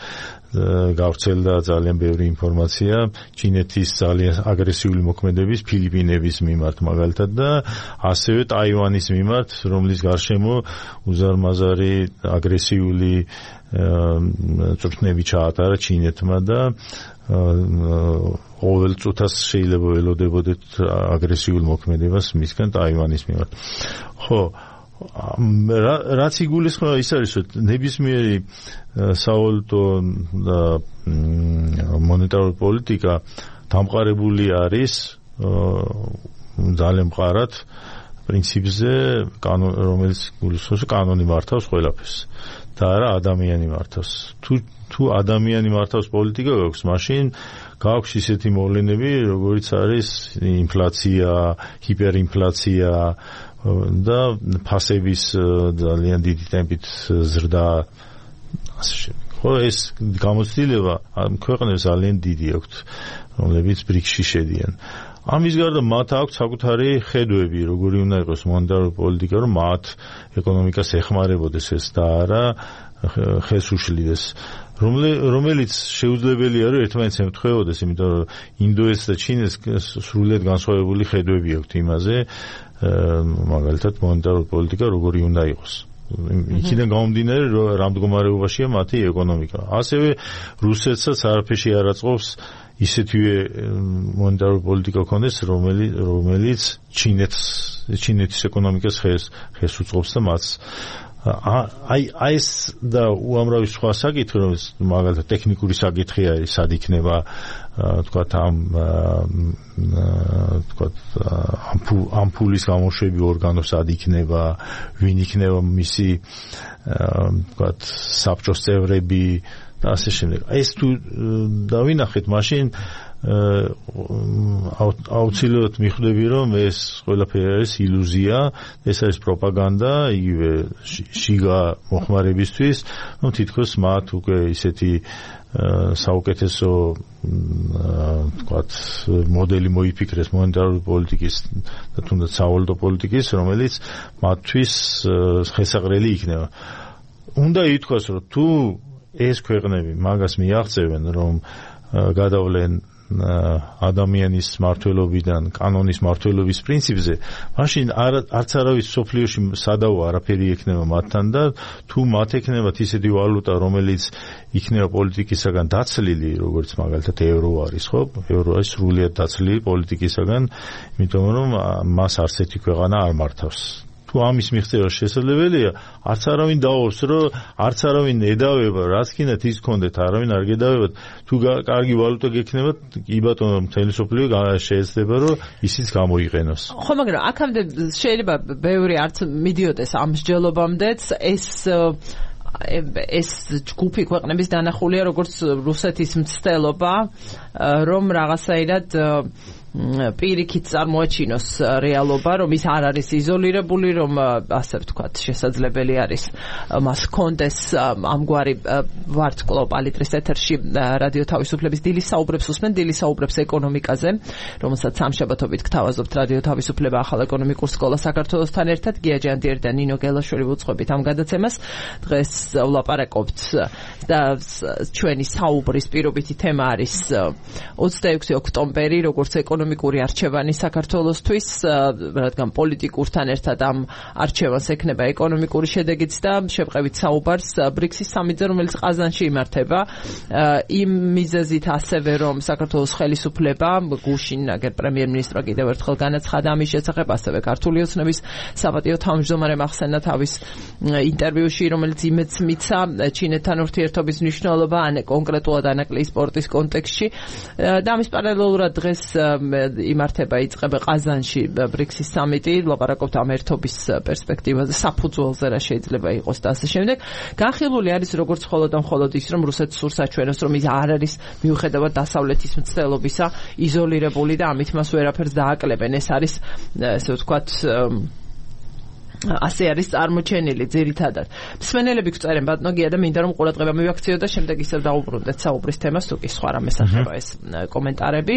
S2: გავრცელდა ძალიან ბევრი ინფორმაცია ჩინეთის ძალიან აგრესიული მოქმედების ფილიპინების მიმართ მაგალითად და ასევე ტაივანის მიმართ, რომლის გარშემო უზარმაზარი აგრესიული წვრთნები ჩაატარა ჩინეთმა და ყოველ წუთას შეიძლება ველოდებოდეთ აგრესიულ მოქმედებას მისგან ტაივანის მიმართ. ხო, რაც იგულისხმება ის არის, რომ ნებისმიერი სავალუტო და მონეტარული პოლიტიკა დამყარებული არის ძალიან მყარად პრინციპზე, რომელიც გულისხმობს კანონი მართავს ყველაფერს და არა ადამიანი მართავს. თუ თუ ადამიანი მართავს პოლიტიკა გაქვს, მაშინ გაქვს ისეთი მოვლენები, როგორიც არის ინფლაცია, ჰიპერინფლაცია და ფასების ძალიან დიდი ტემპით ზრდა. ხო, ეს გამოცდილება ამ ქვეყნებს ძალიან დიდი აქვთ, რომლებიც ბრიქსში შედიან. ამის გარდა მათ აქვს საკუთარი ხედვები, როგორი უნდა იყოს მონეტარული პოლიტიკა, რომ მათ ეკონომიკას ეხმარებოდეს ეს და არა ხეს უშლიდეს. რომელიც შეუძლებელია რომ ერთმანეთს ემთხვეოდეს, იმიტომ რომ ინდოეთს და ჩინეთს სრულიად განსხვავებული ხედვები აქვთ იმაზე, მაგალითად მონეტარული პოლიტიკა როგორი უნდა იყოს. იქიდან გამომდინარე, რომ რამ მდგომარეობაშია მათი ეკონომიკა. ასევე რუსეთსაც არაფერში არ აწყობს ისეთივე მონეტარული პოლიტიკა ქონდეს, რომელიც რომელიც ჩინეთს ჩინეთის ეკონომიკას ხეს ხეს უწყობს და მას აი აი ეს და უამრავი სხვა საკითხი, რომელიც მაგალითად ტექნიკური საკითხი არის, სად იქნება თქვათ ამ თქვათ ამ ფულის გამოშვები ორგანო სად იქნება, ვინ იქნება მისი თქვათ საბჭოს წევრები და ასე შემდეგ. ეს თუ დავინახეთ, მაშინ აუცილებლად მიხვდები რომ ეს ყველაფერი არის ილუზია, ეს არის პროპაგანდა, იგივე შიგა მოხმარებისთვის, რომ თითქოს მათ უკვე ისეთი საუკეთესო თქვათ მოდელი მოიფიქრეს მონეტარული პოლიტიკის და თუნდაც სავალუტო პოლიტიკის, რომელიც მათთვის ხესაყრელი იქნება. უნდა ითქვას, რომ თუ ეს ქვეყნები მაგას მიაღწევენ, რომ გადავლენ ადამიანის მართლობიდან კანონის მართლობის პრინციპზე, მაშინ არც არავის სოფლიოში სადავო არაფერი ექნება მათთან და თუ მათ ექნებათ ისეთი ვალუტა, რომელიც იქნება პოლიტიკისაგან დაცლილი, როგორც მაგალითად ევრო არის, ხო? ევრო არის სრულიად დაცლილი პოლიტიკისაგან, იმიტომ რომ მას არც ერთი ქვეყანა არ მართავს. თუ ამის მიღწევა შესაძლებელია, არც არავინ დაობს, რომ არც არავინ ედავება, რაც კიდეთ ის გქონდეთ, არავინ არ გედავებათ. თუ კარგი ვალუტა გექნებათ, კი ბატონო, მთელი სოფლიო შეიძლება, რომ ისიც გამოიყენოს.
S1: ხო, მაგრამ აქამდე შეიძლება ბევრი არც მიდიოდეს ამ მსჯელობამდეც, ეს ეს ჯგუფი ქვეყნების დანახულია, როგორც რუსეთის მცდელობა, რომ რაღაცაირად პირიქით წარმოაჩინოს რეალობა, რომ ის არ არის იზოლირებული, რომ ასე ვთქვათ, შესაძლებელი არის მას ჰქონდეს ამგვარი ვარსკვლავ პალიტრის ეთერში რადიო თავისუფლების დილის საუბრებს უსმენ, დილის საუბრებს ეკონომიკაზე, რომელსაც სამშაბათობით გთავაზობთ რადიო თავისუფლება ახალ ეკონომიკურ სკოლა საქართველოსთან ერთად. გია ჯანდიერი და ნინო გელაშვილი უწყობთ ამ გადაცემას. დღეს ვლაპარაკობთ და ჩვენი საუბრის პირობითი თემა არის ოცდაექვსი ოქტომბერი, როგორც ეკონომიკური არჩევანი საქართველოსთვის, რადგან პოლიტიკურთან ერთად ამ არჩევანს ექნება ეკონომიკური შედეგიც და შევყევით საუბარს ბრიქსის სამიტზე, რომელიც ყაზანში იმართება, იმ მიზეზით ასევე, რომ საქართველოს ხელისუფლება გუშინ აგერ პრემიერ-მინისტრმა კიდევ ერთხელ განაცხადა ამის შესახებ, ასევე ქართული ოცნების საპატიო თავმჯდომარემ ახსენა თავის ინტერვიუში, რომელიც იმედს მიცა ჩინეთთან ურთიერთობის მნიშვნელობა ან კონკრეტულად ანაკლიის სპორტის კონტექსტში და ამის პარალელურად დღეს იმართება იწყება ყაზანში ბრიქსის სამიტი, ლაპარაკობთ ამ ერთობის პერსპექტივაზე, საფუძველზე რა შეიძლება იყოს და ასე შემდეგ. განხილული არის როგორც მხოლოდ და მხოლოდ ის, რომ რუსეთს სურს აჩვენოს, რომ ის არ არის მიუხედავად დასავლეთის მცდელობისა იზოლირებული და ამით მას ვერაფერს დააკლებენ. ეს არის ესე ვთქვათ ასე არის წარმოჩენილი ძირითადად. მსმენელები გწერენ ბატონო გია და მინდა რომ ყურადღება მივაქციო და შემდეგ ისევ დავუბრუნდეთ საუბრის თემას, თუ კი სხვა რამეს ახება ეს კომენტარები.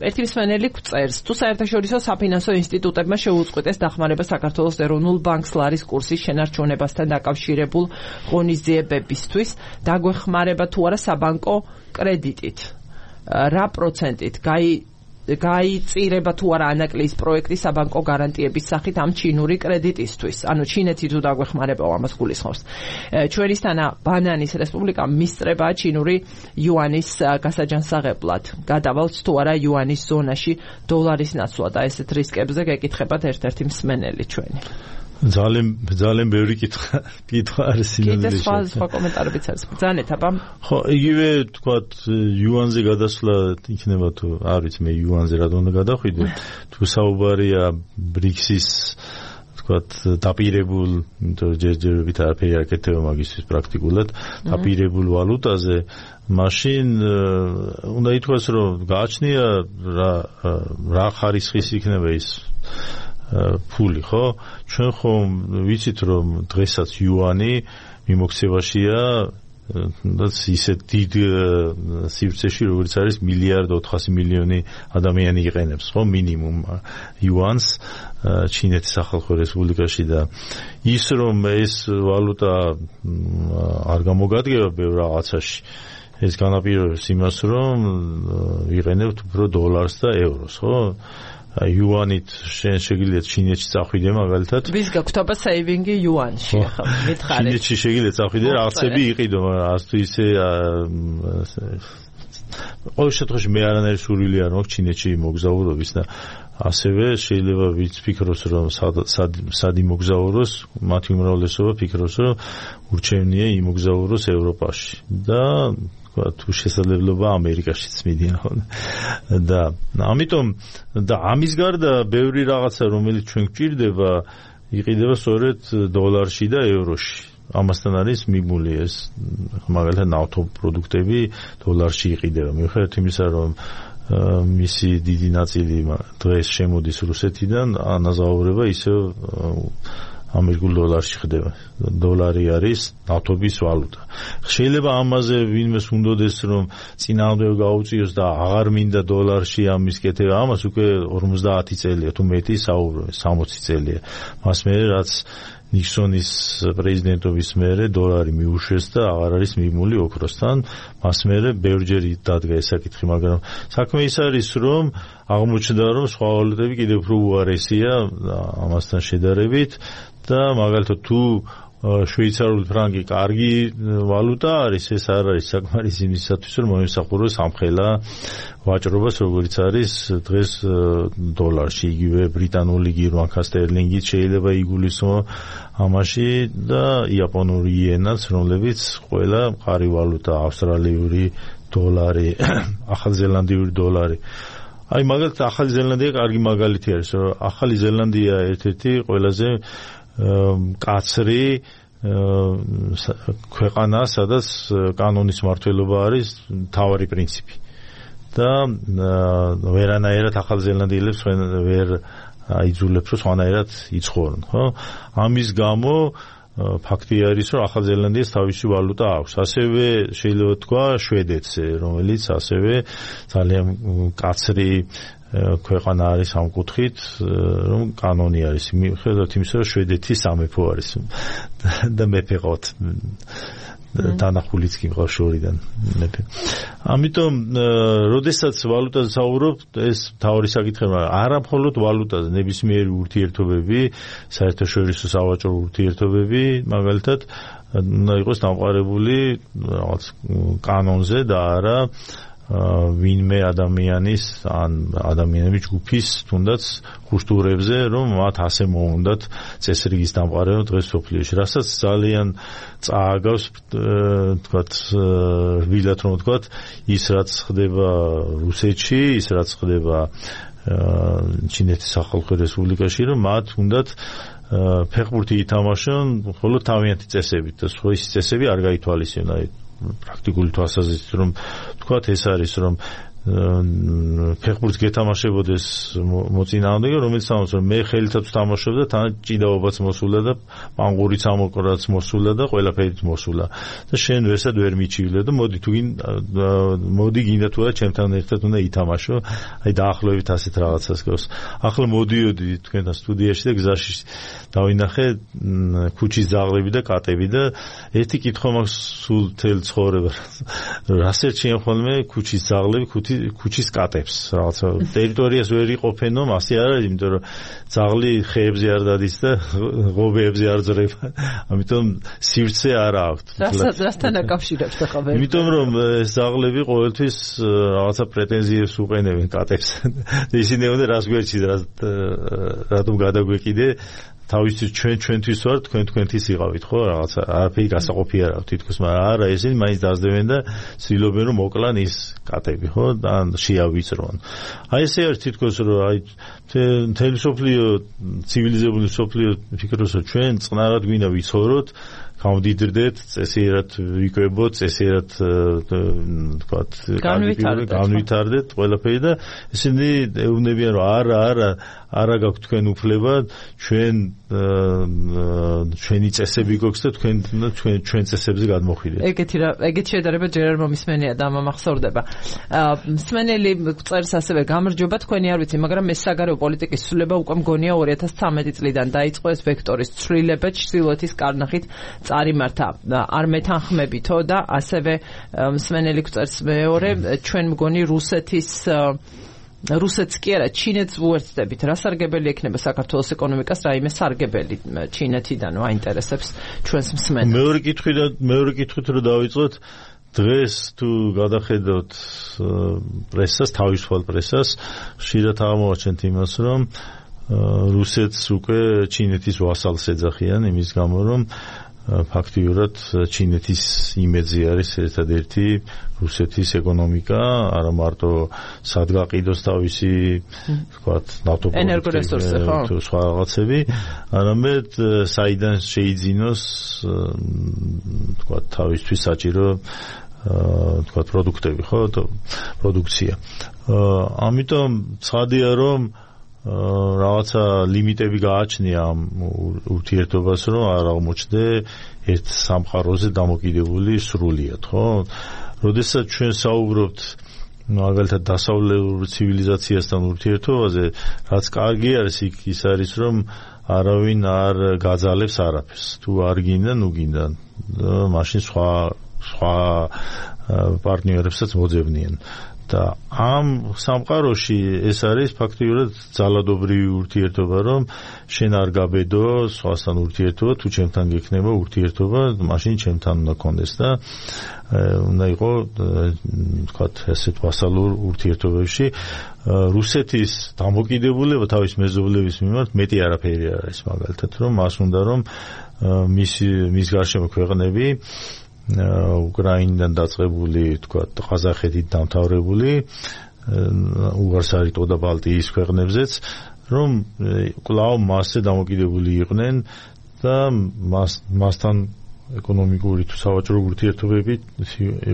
S1: ერთი მსმენელი გწერს, თუ საერთაშორისო საფინანსო ინსტიტუტებმა შეუწყვეტეს დახმარება საქართველოს ეროვნულ ბანკს ლარის კურსის შენარჩუნებასთან დაკავშირებულ ღონისძიებებისთვის, დაგვეხმარება თუ არა საბანკო კრედიტით, რა პროცენტით გაი გაიწირება თუ არა ანაკლიის პროექტი საბანკო გარანტიების სახით ამ ჩინური კრედიტისთვის. ანუ ჩინეთი თუ დაგვეხმარებაო, ამას გულისხმობს. ჩვენისთანა ბანანის რესპუბლიკა მისწრებაა ჩინური იუანის გასაჯანსაღებლად. გადავალთ თუ არა იუანის ზონაში დოლარის ნაცვლად. და ესეთ რისკებზე გეკითხებათ ერთ-ერთი მსმენელი ჩვენი.
S2: ძალიან ძალიან ბევრი კითხვა კითხვა არის
S1: კიდე
S2: სინამდვილეში.
S1: სხვა სხვა კომენტარებიც არის. ბრძანეთ აბა.
S2: ხო, იგივე თქვათ იუანზე გადასვლა იქნება თუ არ ვიცი მე იუანზე რა უნდა გადახვიდე. თუ საუბარია ბრიქსის თქვათ დაპირებულ, იმიტომ ჯერჯერობით არაფერი არ აკეთება მაგისთვის პრაქტიკულად, დაპირებულ ვალუტაზე, მაშინ უნდა ითქვას, რომ გააჩნია რა რა ხარისხის იქნება ის ფული, ხო? ჩვენ ხომ ვიცით რომ დღესაც იუანი მიმოქცევაშია და ისეთ დიდ სივრცეში როგორც არის მილიარდ ოთხასი მილიონი ადამიანი იყენებს, ხო, მინიმუმ იუანს ჩინეთის სახალხო რესპუბლიკაში და ის რომ ეს ვალუტა არ გამოგადგება ბევრ რაღაცაში, ეს განაპირობებს იმას რომ იყენებთ უფრო დოლარს და ევროს, ხო? იუანით შენ შეგიძლიათ ჩინეთში წახვიდე მაგალითად.
S1: ვის გაგვთობა სეივინგი იუანში, ხო, მითხარით.
S2: ჩინეთში შეგიძლიათ წახვიდე, რაღაცები იყიდო, მაგრამ არც თუ ისე ყოველ შემთხვევაში მე არანაირი სურვილი არ მაქვს ჩინეთში მოგზაურობის და ასევე შეიძლება ვინც ფიქრობს რომ სად იმოგზაუროს, მათი უმრავლესობა ფიქრობს რომ ურჩევნია იმოგზაუროს ევროპაში და თუ შესაძლებლობა ამერიკაშიც მიდიან და ამიტომ და ამის გარდა ბევრი რაღაცა რომელიც ჩვენ გვჭირდება იყიდება სწორედ დოლარში და ევროში. ამასთან არის მიბმული ეს მაგალითად ნავთობ პროდუქტები დოლარში იყიდება. მიუხედავად იმისა, რომ მისი დიდი ნაწილი დღეს შემოდის რუსეთიდან, ანაზაურება ისევ ამერიკულ დოლარში ხდება. დოლარი არის ნავთობის ვალუტა. შეიძლება ამაზე ვინმეს უნდოდეს რომ წინააღმდეგ გაუწიოს და აღარ მინდა დოლარში ამის კეთება, ამას უკვე ორმოცდაათი წელია თუ მეტი საუბრობენ, სამოცი წელია. მას მერე რაც ნიქსონის პრეზიდენტობის მერე დოლარი მიუშვეს და აღარ არის მიმული ოქროსთან, მას მერე ბევრჯერ დადგა ეს საკითხი, მაგრამ საქმე ის არის, რომ აღმოჩნდა, რომ სხვა ვალუტები კიდევ უფრო უარესია ამასთან შედარებით და მაგალითად თუ შვეიცარიული ფრანკი კარგი ვალუტა არის, ეს არ არის საკმარისი იმისათვის, რომ მოემსახუროს ამხელა ვაჭრობას, როგორც არის დღეს დოლარში, იგივე ბრიტანული გირვანქა სტერლინგით შეიძლება იგულისხმო ამაში და იაპონური იენაც, რომლებიც ყველა მყარი ვალუტა, ავსტრალიური დოლარი, ახალზელანდიური დოლარი. აი მაგალითად ახალი ზელანდია კარგი მაგალითი არის, რომ ახალი ზელანდია ერთ-ერთი ყველაზე კაცრი ქვეყანა, სადაც კანონის მმართველობა არის მთავარი პრინციპი. და ვერანაირად ახალი ზელანდიელებს ვერ აიძულებს, რომ სხვანაირად იცხოვრონ, ხო? ამის გამო ფაქტი არის, რომ ახალი ზელანდიას თავისი ვალუტა აქვს. ასევე შეიძლება თქვა შვედეთზე, რომელიც ასევე ძალიან კაცრი ქვეყანა არის ამ კუთხით, რომ კანონი არის. მიუხედავად იმისა, რომ შვედეთი სამეფო არის და მეფე ყავთ. დანახულიც კი მყავს შორიდან მეფე. ამიტომ, როდესაც ვალუტაზე საუბრობ, ეს მთავარი საკითხია, არა მხოლოდ ვალუტაზე, ნებისმიერი ურთიერთობები, საერთაშორისო სავაჭრო ურთიერთობები, მაგალითად, უნდა იყოს დამყარებული რაღაც კანონზე და არა ვინმე ადამიანის ან ადამიანების ჯგუფის თუნდაც ხუშტურებზე, რომ მათ ასე მოუნდათ წესრიგის დამყარება დღეს სოფლიოში, რასაც ძალიან წააგავს, თქვათ, რბილად რომ ვთქვათ, ის რაც ხდება რუსეთში, ის რაც ხდება ჩინეთის სახალხო რესპუბლიკაში, რომ მათ უნდათ ფეხბურთი ითამაშონ მხოლოდ თავიანთი წესებით და სხვა ის წესები არ გაითვალისწინონ. პრაქტიკული თვალსაზრისით რომ თქვათ, ეს არის, რომ ფეხბურთს გეთამაშებოდეს მოწინააღმდეგე, რომელიც ამბობს, რომ მე ხელითაც ვთამაშობ და თან ჭიდაობაც მოსულა და პანგურიც ამოკრაც მოსულა და ყველაფერით მოსულა და შენ ვერსად ვერ მიჩივლე და მოდი თუ მოდი გინდა თუ არა ჩემთან ერთად უნდა ითამაშო. აი დაახლოებით ასეთ რაღაცას გავს. ახლა მოდიოდი თქვენთან სტუდიაში და გზაში დავინახე ქუჩის ძაღლები და კატები და ერთი კითხვა მაქვს სულ თელ ცხოვრება. რას ერჩიან ხოლმე ქუჩის ძაღლები ქუჩის კატებს, რაღაცა ტერიტორიას ვერ იყოფენო, ასე არ არის, იმიტომ რომ ძაღლი ხეებზე არ დადის და ღობეებზე არ ძრება. ამიტომ სივრცე არ აქვს.
S1: რასთან აკავშირებს და ხაბერ?
S2: იმიტომ რომ ეს ძაღლები ყოველთვის რაღაცა პრეტენზიებს უყენებენ კატებს. ისინი უნდა რას გვერჩით, რატომ გადაგვეკიდე თავისთვის ჩვენ ჩვენთვის ვარ, თქვენ თქვენთვის იყავით, ხო? რაღაცა არაფერი გასაყოფი არ აქვს თითქოს, მაგრამ არა, ესენი მაინც დაძლებენ და ცდილობენ რომ მოკლან ის კატები, ხო? და შეავიწრონ. აი ესე არის თითქოს, რომ აი მთელი სოფლიო, ცივილიზებული სოფლიო ფიქრობს, რომ ჩვენ წყნარად გვინდა ვიცხოვროთ, გავდიდრდეთ, წესიერად ვიკვებოთ, წესიერად თქვათ, განვითარდეთ ყველაფერი და ისინი ეუბნებიან, რომ არა, არა, არა გაქვთ თქვენ უფლება, ჩვენ ჩვენი წესები გვაქვს და თქვენ ჩვენ ჩვენ წესებზე გადმოხვიდეთ.
S1: ეგეთი რა, ეგეთი შედარება ჯერ არ მომისმენია და მომახსოვრდება. მსმენელი წერს ასევე გამარჯობა, თქვენი არ ვიცი, მაგრამ ეს საგარეო პოლიტიკის ცვლილება უკვე მგონია ორი ათას ცხრამეტი წლიდან დაიწყო ეს ვექტორის ცვლილება ჩრდილოეთის კარნახით წარიმართა. არ მეთანხმებითო და ასევე მსმენელი წერს მეორე, ჩვენ მგონი რუსეთის რუსეთს კი არა, ჩინეთს უერთდებით. რა სარგებელი ექნება საქართველოს ეკონომიკას, რაიმე სარგებელი ჩინეთიდან აინტერესებს ჩვენს მსმენელს.
S2: მეორე კითხვით და მეორე კითხვით რომ დავიწყოთ, დღეს თუ გადახედავთ პრესას, თავისუფალ პრესას, ხშირად აღმოვაჩენთ იმას, რომ რუსეთს უკვე ჩინეთის ვასალს ეძახიან, იმის გამო რომ ფაქტიურად ჩინეთის იმედზე არის ერთადერთი რუსეთის ეკონომიკა, არა მარტო სადგაყიდოს თავისი, ვთქვათ,
S1: ენერგორესურსი, ხო,
S2: სხვა რაღაცები, არამედ საიდან შეიძინოს, ვთქვათ, თავისთვის საჭირო, ვთქვათ, პროდუქტები, ხო, პროდუქცია. ამიტომ ცხადია, რომ რაღაცა ლიმიტები გააჩნია ამ ურთიერთობას, რომ არ აღმოჩნდე ერთ სამყაროზე დამოკიდებული სრულიად, ხო? როდესაც ჩვენ საუბრობთ მაგალითად დასავლურ ცივილიზაციასთან ურთიერთობაზე, რაც კარგი არის, იქ ის არის, რომ არავინ არ გაძალებს არაფერს. თუ არ გინდა, ნუ გინდა, მაშინ სხვა სხვა პარტნიორებსაც მოძებნიან. და ამ სამყაროში ეს არის ფაქტიურად ძალადობრივი ურთიერთობა, რომ შენ არ გაბედო სხვასთან ურთიერთობა, თუ ჩემთან გექნება ურთიერთობა, მაშინ ჩემთან უნდა კონდეს და უნდა იყო, ვთქვათ, ესეთ ვასალურ ურთიერთობებში რუსეთის დამოკიდებულება თავის მეზობლების მიმართ მეტი არაფერი არ არის, მაგალითად, რომ მას უნდა რომ მის მის გარშემო ქვეყნები უკრაინიდან დაწყებული, ვთქვათ, ყაზახეთით დამთავრებული, უღარსარიტო და ბალტიის ქვეყნებზეც, რომ კვლავ მასზე დამოკიდებული იყვნენ და მას მასთან ეკონომიკური თუ სავაჭრო ურთიერთობები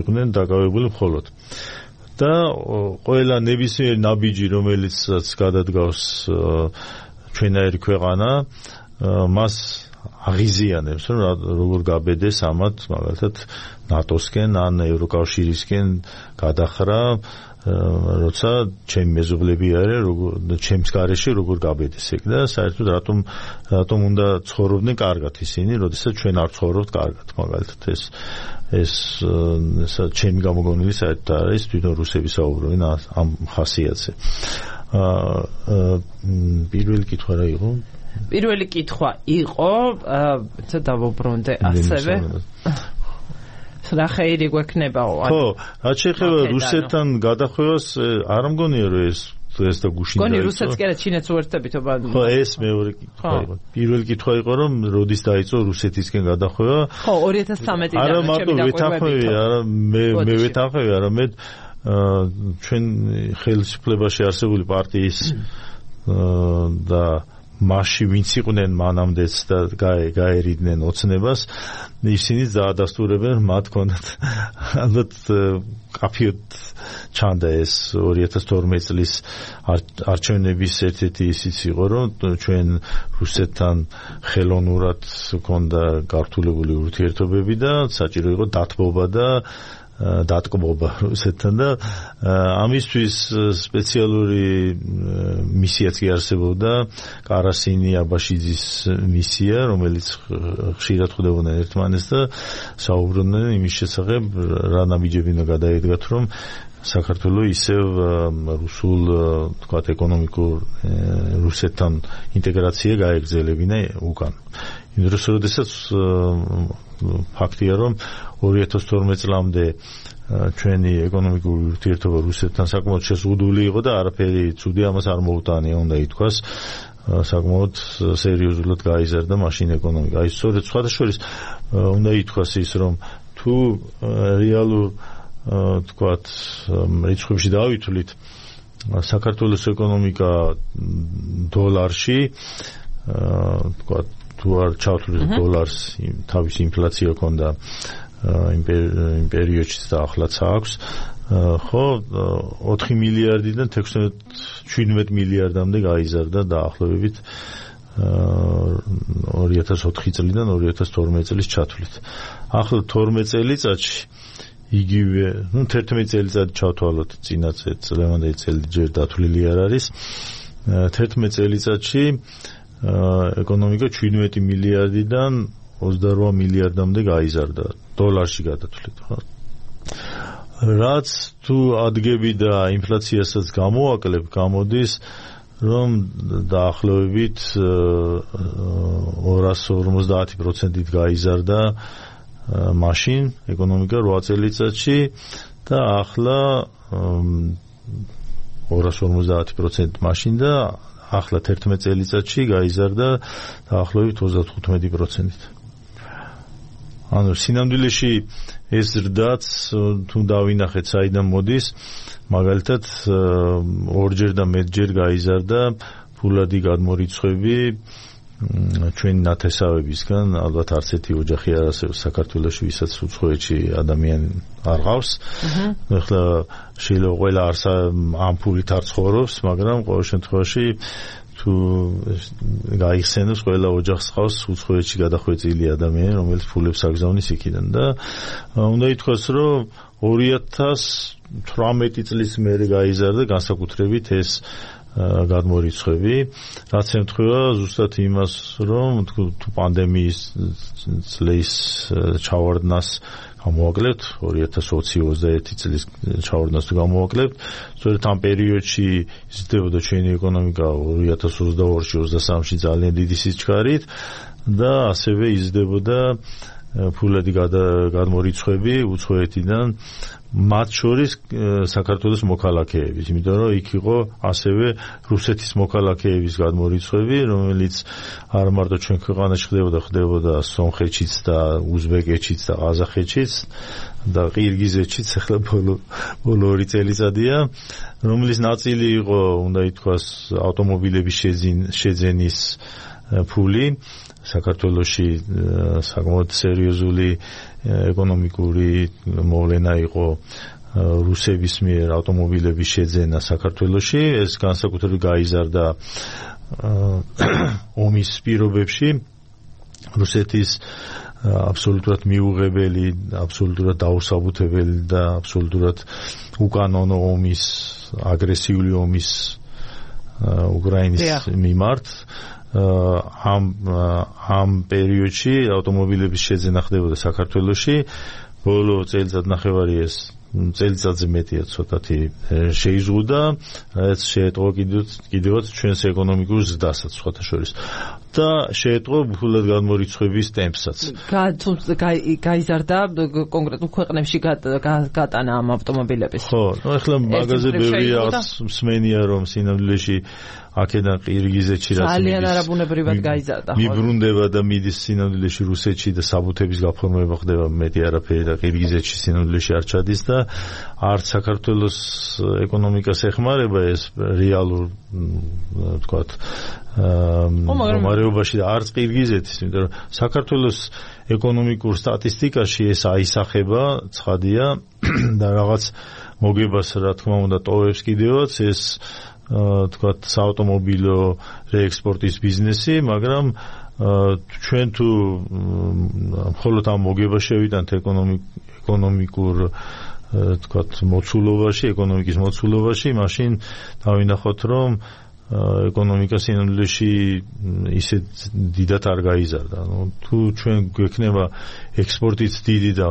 S2: იყვნენ დაკავებული მხოლოდ. და ყველა ნებისმიერი ნაბიჯი, რომელიც გადადგავს ჩვენაერი ქვეყანა, მას აღიზიანებს, რომ როგორ გაბედეს ამათ, მაგალითად, ნატოსკენ ან ევროკავშირისკენ გადახრა, როცა ჩემი მეზობლები არიან, როგორ ჩემს გარეშე როგორ გაბედეს ეგ და საერთოდ რატომ რატომ უნდა ცხოვრობდნენ კარგად ისინი, როდესაც ჩვენ არ ცხოვრობთ კარგად, მაგალითად ეს ეს ესა ჩემი გამოგონილი საერთოდ არის, თვითონ რუსები საუბრობენ ამ ხასიათზე. აა პირველი კითხვა რა იყო?
S1: პირველი კითხვა იყო, ცა დავუბრუნდე ასევე. რა ხეირი გვექნებაო?
S2: ხო, რაც შეეხება რუსეთთან გადახვევას, არ მგონია რომ ეს ეს და გუშინ
S1: დაიწყო. გონი რუსეთს კი არა ჩინეთს უერთდებითო ბა.
S2: ხო, ეს მეორე კითხვა იყო. პირველი კითხვა იყო, რომ როდის დაიწყო რუსეთისკენ გადახვევა?
S1: ხო, ორი ათას ცხრამეტი
S2: არა მარტო ვეთანხმები, არა მე მე ვეთანხმები, არამედ ჩვენ ხელისუფლებაში არსებული პარტიის და მასში ვინც იყვნენ მანამდეც და გაერიდნენ ოცნებას, ისინი დაადასტურებენ, მათ ჰქონდათ ალბათ კაფიოდ ჩანდა ეს ორი ათას თორმეტი წლის არჩევნების ერთ-ერთი ისიც იყო, რომ ჩვენ რუსეთთან ხელოვნურად ჰქონდა გართულებული ურთიერთობები და საჭირო იყო დათბობა და დატკბობა რუსეთთან და ამისთვის სპეციალური მისიაც კი არსებობდა, კარასინი აბაშიძის მისია, რომელიც ხშირად ხვდებოდნენ ერთმანეთს და საუბრობდნენ იმის შესახებ, რა ნაბიჯები უნდა გადაედგათ, რომ საქართველოს ისევ რუსულ, თქვათ, ეკონომიკურ რუსეთთან ინტეგრაცია გაეგრძელებინა უკან. იმ დროს, როდესაც ფაქტია, რომ ორი ათას თორმეტი წლამდე ჩვენი ეკონომიკური ურთიერთობა რუსეთთან საკმაოდ შეზღუდული იყო და არაფერი ცუდი ამას არ მოუტანია, უნდა ითქვას, საკმაოდ სერიოზულად გაიზარდა მაშინ ეკონომიკა. აი, სწორედ სხვადასხვის უნდა ითქვას ის, რომ თუ რეალურ, თქვათ, რიცხვებში დავითვლით, საქართველოს ეკონომიკა დოლარში, თქვათ, თუ არ ჩავთვლით დოლარს, თავის ინფლაცია ჰქონდა იმ პერიოდში და ახლაც აქვს, ხო, ოთხი მილიარდიდან თექვსმეტ მილიარდამდე გაიზარდა დაახლოებით ორი ათას ოთხი წლიდან ორი ათას თორმეტი წლის ჩათვლით. ახლა თორმეტ წელიწადში იგივე, ნუ თერთმეტ წელიწად ჩავთვალოთ, წინა წლევანდელი წელი ჯერ დათვლილი არ არის. თერთმეტ წელიწადში ეკონომიკა შვიდმეტი მილიარდიდან ოცდარვა მილიარდამდე გაიზარდა დოლარში გადათვლით, ხო? რაც თუ ადგები და ინფლაციასაც გამოაკლებ, გამოდის, რომ დაახლოებით ორას ორმოცდაათი პროცენტით გაიზარდა მაშინ ეკონომიკა რვა წელიწადში და ახლა ორას ორმოცდაათი პროცენტი მაშინ და ახლა თერთმეტ წელიწადში გაიზარდა დაახლოებით ოცდათხუთმეტი პროცენტით. ანუ სინამდვილეში ეს ზრდაც თუ დავინახეთ საიდან მოდის, მაგალითად ორჯერ და მეტჯერ გაიზარდა ფულადი გადმორიცხვები ჩვენი ნათესავებისგან, ალბათ არც ერთი ოჯახი არ არსებობს საქართველოში, ვისაც უცხოეთში ადამიანი არ ყავს. ახლა შეიძლება ყველა არსა ამ ფულით არ ცხოვრობს, მაგრამ ყოველ შემთხვევაში თუ გაიხსენოს ყველა ოჯახს ყავს უცხოეთში გადახვეწილი ადამიანი, რომელიც ფულებს აგზავნის იქიდან და უნდა ითქვას, რომ ორი ათას თვრამეტი წლის მერე გაიზარდა განსაკუთრებით ეს გადმორიცხვები, რაც ემთხვევა ზუსტად იმას, რომ თუ პანდემიის წლის ჩავარდნას გამოვაკლებთ, ორი ათას ოცი ოცდაერთი წლის ჩავარდნას თუ გამოვაკლებთ, სწორედ ამ პერიოდში იზრდებოდა ჩვენი ეკონომიკა ორი ათას ოცდაორში ოცდასამში ძალიან დიდი სიჩქარით და ასევე იზრდებოდა ფულადი გადმორიცხვები უცხოეთიდან, მათ შორის საქართველოს მოქალაქეების, იმიტომ რომ იქ იყო ასევე რუსეთის მოქალაქეების გადმორიცხვები, რომელიც არ მარტო ჩვენ ქვეყანაში ხდებოდა, ხდებოდა სომხეთშიც და უზბეკეთშიც და ყაზახეთშიც და ყირგიზეთშიც, ახლა ბოლო ბოლო ორი წელიწადია, რომლის ნაწილი იყო, უნდა ითქვას, ავტომობილების შეძენის ფული. საქართველოში საკმაოდ სერიოზული ეკონომიკური მოვლენა იყო რუსების მიერ ავტომობილების შეძენა საქართველოში. ეს განსაკუთრებით გაიზარდა ომის პირობებში. რუსეთის აბსოლუტურად მიუღებელი, აბსოლუტურად დაუსაბუთებელი და აბსოლუტურად უკანონო ომის, აგრესიული ომის უკრაინის მიმართ ამ ამ პერიოდში ავტომობილების შეძენა ხდებოდა საქართველოში. ბოლო წელიწადნახევარი ეს წელიწადზე მეტია ცოტათი შეიზღუდა, რაც შეეტყო კიდევაც ჩვენს ეკონომიკურ ზრდასაც სხვათა შორის და შეეტყო ფულად გადმორიცხვების ტემპსაც.
S1: გაიზარდა კონკრეტულ ქვეყნებში გატანა ამ ავტომობილების.
S2: ხო, ну ახლა მაგაზე ბევრი მსმენია, რომ სინამდვილეში აქედან ყირგიზეთში რაც
S1: ძალიან არაბუნებრივად გაიზარდა.
S2: მიბრუნდება და მიდის სინამდვილეში რუსეთში და საბუთების გაფორმება ხდება, მეტი არაფერი და ყირგიზეთში სინამდვილეში არ ჩადის და არც საქართველოს ეკონომიკას ეხმარება ეს რეალურ ვთქვათ მდგომარეობაში და არც ყირგიზეთის, იმიტომ რომ საქართველოს ეკონომიკურ სტატისტიკაში ეს აისახება, ცხადია და რაღაც მოგებას რა თქმა უნდა ტოვებს კიდევაც ეს თქვათ საავტომობილო რეექსპორტის ბიზნესი, მაგრამ ჩვენ თუ მხოლოდ ამ მოგებას შევიტანთ ეკონომიკურ თქვათ მოცულობაში, ეკონომიკის მოცულობაში, მაშინ დავინახოთ, რომ ეკონომიკა სინამდვილეში ისე დიდად არ გაიზარდა. ნუ თუ ჩვენ გვექნება ექსპორტიც დიდი და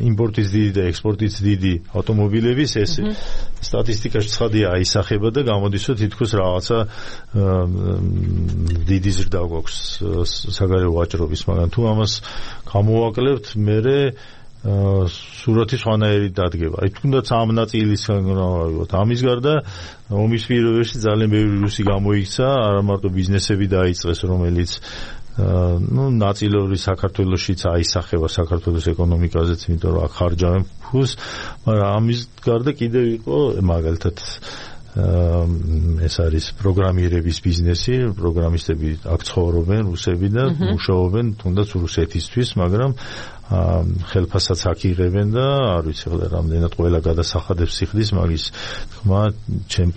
S2: იმპორტიც დიდი და ექსპორტიც დიდი ავტომობილების, ეს სტატისტიკაში ცხადია აისახება და გამოდის, რომ თითქოს რაღაცა დიდი ზრდა გვაქვს საგარეო ვაჭრობის, მაგრამ თუ ამას გამოვაკლებთ, მერე სურათი სხვანაირი დადგება. აი თუნდაც ამ ნაწილისგან გავავიღოთ. ამის გარდა ომის პირობებში ძალიან ბევრი რუსი გამოიქცა, არა მარტო ბიზნესები დაიწყეს, რომელიც ну ნაწილობრივ საქართველოშიც აისახება საქართველოს ეკონომიკაზეც, იმიტომ რომ აქ ხარჯავენ ფულს, მაგრამ ამის გარდა კიდევ იყო მაგალითად ეს არის პროგრამირების ბიზნესი, პროგრამისტები აქ ცხოვრობენ რუსები და მუშაობენ თუნდაც რუსეთისთვის, მაგრამ ხელფასაც აქ იღებენ და არ ვიცი ხოლმე რამდენად ყველა გადასახადებს სიხდის, მაგის თქმა ჩემ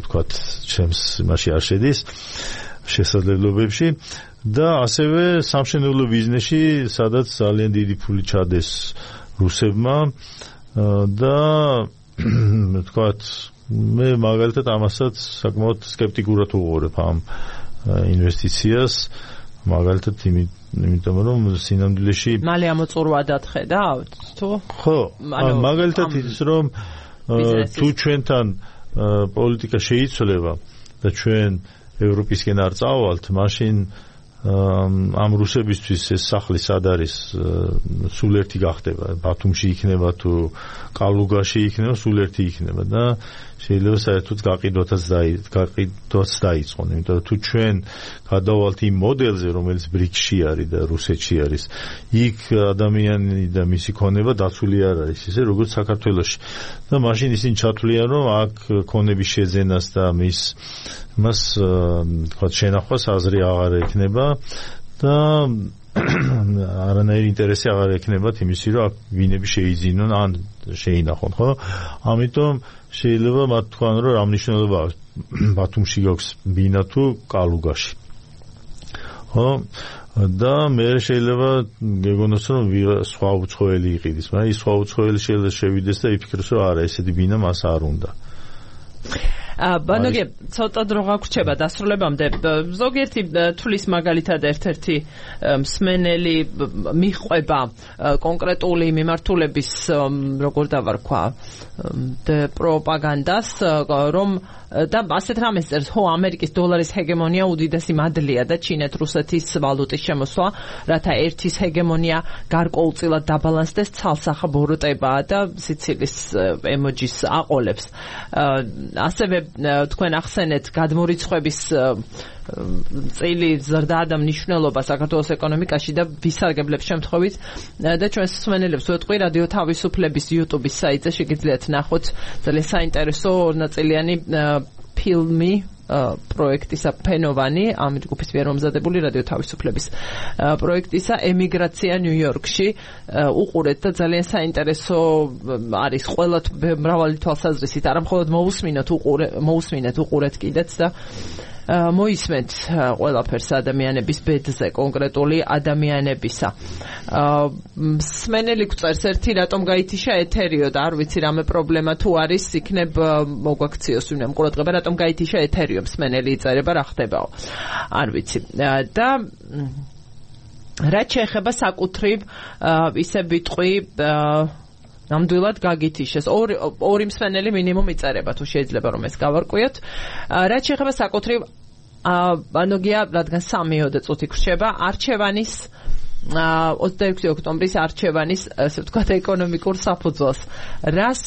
S2: თქვათ ჩემს მასში არ შედის შესაძლებლობებში და ასევე სამშენებლო ბიზნესში, სადაც ძალიან დიდი ფული ჩადეს რუსებმა და თქვათ მე მაგალითად ამასაც საკმაოდ სკეპტიკურად უყურებ ამ ინვესტიციას, მაგალითად იმიტომ რომ სინამდვილეში
S1: მალე ამოწურვა დახედავთ თუ
S2: ხო, მაგალითად ის რომ თუ ჩვენთან პოლიტიკა შეიცვლება და ჩვენ ევროპისკენ არ წავალთ, მაშინ ამ რუსებისთვის ეს სახლი სად არის სულ ერთი გახდება ბათუმში იქნება თუ კალუგაში იქნება სულ ერთი იქნება და შეიძლება საერთოდ გაყიდვაც გაყიდვაც დაიწყონ იმიტომ რომ თუ ჩვენ გადავალთ იმ მოდელზე რომელიც ბრიქსში არის და რუსეთში არის იქ ადამიანი და მისი ქონება დაცული არ არის ისე როგორც საქართველოში და მაშინ ისინი ჩათვლიან რომ აქ ქონების შეძენას და მის მას თქვა შენახვას აზრი აღარ ექნება და არანაირი ინტერესი აღარ ექნებათ იმისი რომ ვინები შეიძინონ ან შეინახონ ხო ამიტომ შეიძლება მათ თქვან რომ რა მნიშვნელობა აქვს ბათუმში გაქვს ბინა თუ კალუგაში ხო და მე შეიძლება გეგონოს რომ სხვა უცხოელი იყიდეს მაგრამ ის სხვა უცხოელი შეიძლება შევიდეს და იფიქროს რომ არა ესეთი ბინა მას არ უნდა
S1: ბანოგე ცოტა დრო გაგვრჩება დასრულებამდე ზოგიერთი თulis მაგალითად ერთ-ერთი მსმენელი მიხვება კონკრეტული მიმართულების როგორ დავარქვა პროპაგანდას რომ და ასეთ რამეს წერს ხო ამერიკის დოლარის ჰეგემონია უდიდესი მადლია და ჩინეთ-რუსეთის ვალუტის შემოსვლა რათა ერთის ჰეგემონია გარკვეულწილად დაბალანსდეს ცალსახა ბოროტებაა და სიცილის ემოჯის აყოლებს ასევე თქვენ ახსენეთ გადმორიცხვების წილი ზრდა და მნიშვნელობა საქართველოს ეკონომიკაში და ვისარგებლებს შემთხვევით და ჩვენს მსმენელებს ვეთყვი რადიო თავისუფლების YouTube-ის საიტზე შეგიძლიათ ნახოთ ძალიან საინტერესო ორნაწილიანი ფილმი პროექტისა ფენოვანი ამ ჯგუფის მიერ მომზადებული რადიო თავისუფლების პროექტისა ემიგრაცია ნიუ-იორკში უყურეთ და ძალიან საინტერესო არის ყველა მრავალი თვალსაზრისით არა მხოლოდ მოусმინოთ უყურეთ მოусმინეთ უყურეთ კიდეც და მოისმენთ ყველაფერს ადამიანების ბედზე კონკრეტული ადამიანებისა მსმენელი გვწერს ერთი რატომ გაითიშა ეთერიო და არ ვიცი რამე პრობლემა თუ არის იქნებ მოგვაქციოს ვინმე ყურადღება რატომ გაითიშა ეთერიო მსმენელი იწერება რა ხდებაო არ ვიცი და რაც შეეხება საკუთრივ ისე ვიტყვი ნამდვილად გაგითიშეს ორი ორი მსმენელი მინიმუმ იწერება თუ შეიძლება რომ ეს გავარკვიოთ რაც შეეხება საკუთრივ ბანოგია რადგან სამიოდე წუთი გრჩება არჩევანის ოცდაექვსი ოქტომბრის არჩევანის ასე ვთქვათ ეკონომიკურ საფუძველს რას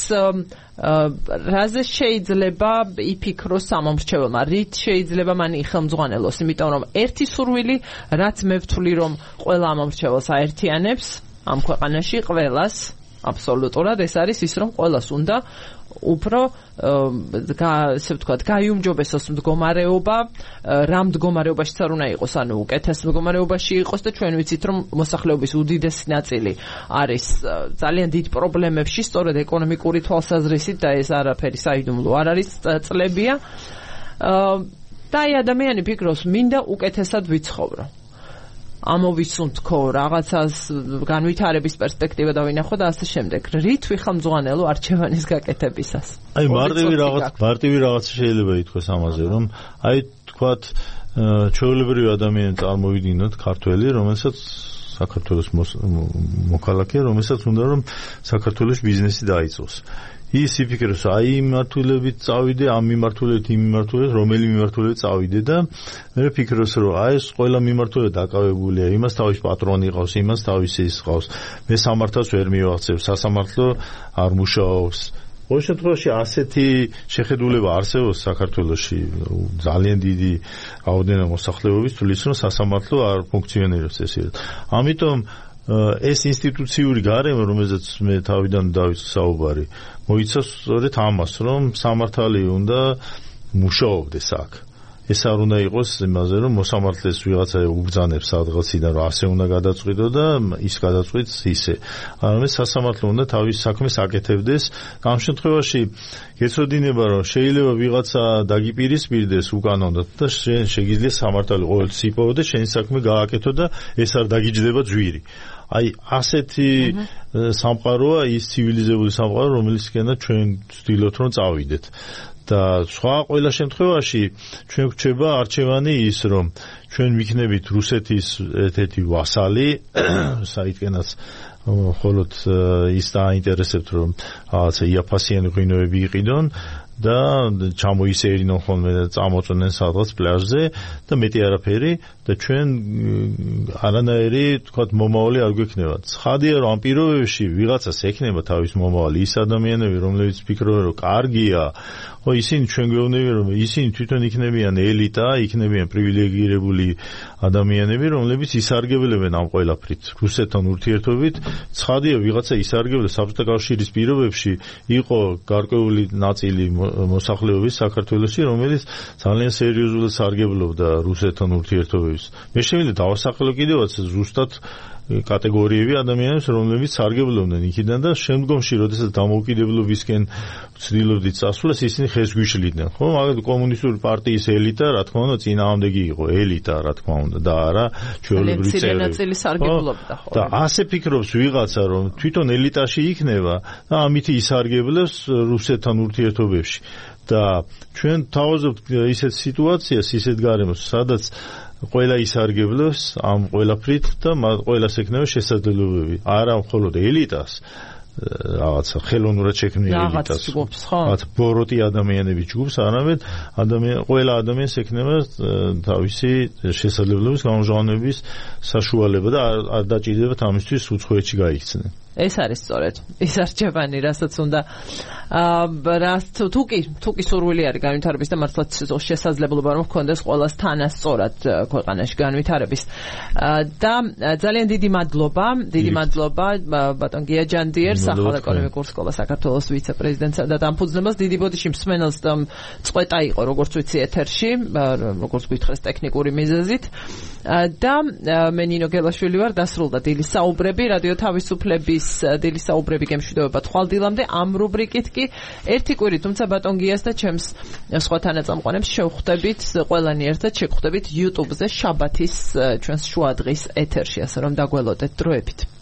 S1: რაზე შეიძლება იფიქროს სამომრჩეველმა რით შეიძლება მან იხელმძღვანელოს იმიტომ რომ ერთი სურვილი რაც მე ვთვლი რომ ყველა ამომრჩეველს აერთიანებს ამ ქვეყანაში ყველას აბსოლუტურად ეს არის ის რომ ყველას უნდა უფრო ასე ვთქვათ გაიუმჯობესოს მდგომარეობა რა მდგომარეობაში არ უნდა იყოს ანუ უკეთეს მდგომარეობაში იყოს და ჩვენ ვიცით რომ მოსახლეობის უდიდესი ნაწილი არის ძალიან დიდ პრობლემებში სწორედ ეკონომიკური თვალსაზრისით და ეს არაფერი საიდუმლო არ არის წლებია და აი ადამიანი ფიქრობს მინდა უკეთესად ვიცხოვრო ამოვისუნთქო რაღაცას განვითარების პერსპექტივა და ვინახო და ასე შემდეგ. რით ვიხელმძღვანელო არჩევანის გაკეთებისას?
S2: აი მარტივი რაღაც მარტივი რაღაც შეიძლება ითქვას ამაზე, რომ აი თქვათ ჩვეულებრივი ადამიანი წარმოვიდგინოთ ქართველი, რომელსაც საქართველოს მოქალაქეა, რომელსაც უნდა რომ საქართველოს ბიზნესი დაიწყოს. ის იფიქრებს, აი მიმართულებით წავიდე, ამ მიმართულებით, იმ მიმართულებით, რომელი მიმართულებით წავიდე და მე ვფიქრობს, რომ აი ეს ყველა მიმართულებით დაკავებულია, იმას თავის პატრონი ყავს, იმას თავისი ის ყავს. მე სამართალს ვერ მივახცევ, სასამართლო არ მუშაობს. ყოველ შემთხვევაში ასეთი შეხედულება არსებობს საქართველოში ძალიან დიდი რაოდენობა მოსახლეობის თulis რომ სასამართლო არ ფუნქციონირებს ესე. ამიტომ ეს ინსტიტუციური გარემო, რომელზეც მე თავიდან დავიწყე საუბარი, მოიცავს სწორედ ამას, რომ სამართალი უნდა მუშაობდეს აქ. ეს არ უნდა იყოს იმაზე, რომ მოსამართლეს ვიღაცა უბრძანებს სადღაციდან, რომ ასე უნდა გადაწყვიტო და ის გადაწყვიტს ისე. არამედ სასამართლო უნდა თავის საქმეს აკეთებდეს. ამ შემთხვევაში გეცოდინება, რომ შეიძლება ვიღაცა დაგიპირისპირდეს უკანონოდ და შენ შეგიძლია სამართალი ყოველთვის იპოვო და შენი საქმე გააკეთო და ეს არ დაგიჯდება ჯვირი. აი ასეთი სამყაროა ის ცივილიზებული სამყარო, რომელისკენაც ჩვენ ვცდილობთ რომ წავიდეთ. და სხვა ყველა შემთხვევაში ჩვენ გვჩება არჩევანი ის რომ ჩვენ ვიქნებით რუსეთის ერთ-ერთი ვასალი, საიდანაც მხოლოდ ის დაინტერესებთ რომ რაღაცა იაფასიანი ღვინოები იყიდონ და ჩამოისეირინონ ხოლმე და წამოწვნენ სადღაც პლაჟზე და მეტი არაფერი და ჩვენ არანაირი თქვათ მომავალი არ გვექნება. ცხადია რომ ამ პირობებში ვიღაცას ექნება თავის მომავალი ის ადამიანები რომლებიც ფიქრობენ რომ კარგია ხო ისინი ჩვენ გვეუბნებიან რომ ისინი თვითონ იქნებიან ელიტა, იქნებიან პრივილეგირებული ადამიანები, რომლებიც ისარგებლებენ ამ ყველაფრით. რუსეთთან ურთიერთობით ცხადია ვიღაცა ისარგებლა საბჭოთა კავშირის პირობებში იყო გარკვეული ნაწილი მოსახლეობის საქართველოში, რომელიც ძალიან სერიოზულად სარგებლობდა რუსეთთან ურთიერთობებს. მე შემიძლია დავასახელო კიდევაც ზუსტად კატეგორიები ადამიანებს, რომლებიც სარგებლობდნენ იქიდან და შემდგომში, როდესაც დამოუკიდებლობისკენ ცდილობდით წასვლას, ისინი ხეს გვიშლიდნენ. ხო, მაგალითად კომუნისტური პარტიის ელიტა, რა თქმა უნდა, წინააღმდეგი იყო, elita, რა თქმა უნდა, და არა ჩვეულებრივი წევრები. და ასე ფიქრობს ვიღაცა, რომ თვითონ ელიტაში იქნება და ამითი ისარგებლებს რუსეთთან ურთიერთობებში. და ჩვენ თავაზობთ ისეთ სიტუაციას, ისეთ გარემოს, სადაც ყველა ისარგებლებს ამ ყველაფრით და ყველას ექნება შესაძლებლობები. არა მხოლოდ ელიტას, რაღაცა ხელოვნურად შექმნილი ელიტას. რაღაც ბოროტი ადამიანების ჯგუფს, არამედ ადამიან ყველა ადამიანს ექნება თავისი შესაძლებლობის გამჟღავნების საშუალება და არ დაჭირდებათ ამისთვის უცხოეთში გაიქცნენ.
S1: ეს არის სწორედ ის არჩევანი, რასაც უნდა რაც თუ კი თუ კი სურვილი არის განვითარების და მართლაც შესაძლებლობა რომ ჰქონდეს ყველას თანასწორად ქვეყანაში განვითარების. და ძალიან დიდი მადლობა, დიდი მადლობა ბატონ გიაჯანდიერს, ახალ ეკონომიკურ სკოლას საქართველოს ვიცე-პრეზიდენტსა და დამფუძნებას. დიდი ბოდიში მსმენელს წყვეტა იყო, როგორც ვიცი, ეთერში, როგორც გითხრეს ტექნიკური მიზეზით. და მე ნინო გელაშვილი ვარ, დასრულდა დილის საუბრები, რადიო თავისუფლების დილის საუბრები გემშვიდობება თვალდილამდე. ამ რუბრიკით კი ერთი კვირი, თუმცა ბატონ გიას და ჩემს სხვა თანაწამყვანებს შევხვდებით ყველანი ერთად შეგხვდებით YouTube-ზე შაბათის ჩვენს შუადღის ეთერში, ასე რომ დაგველოდეთ დროებით.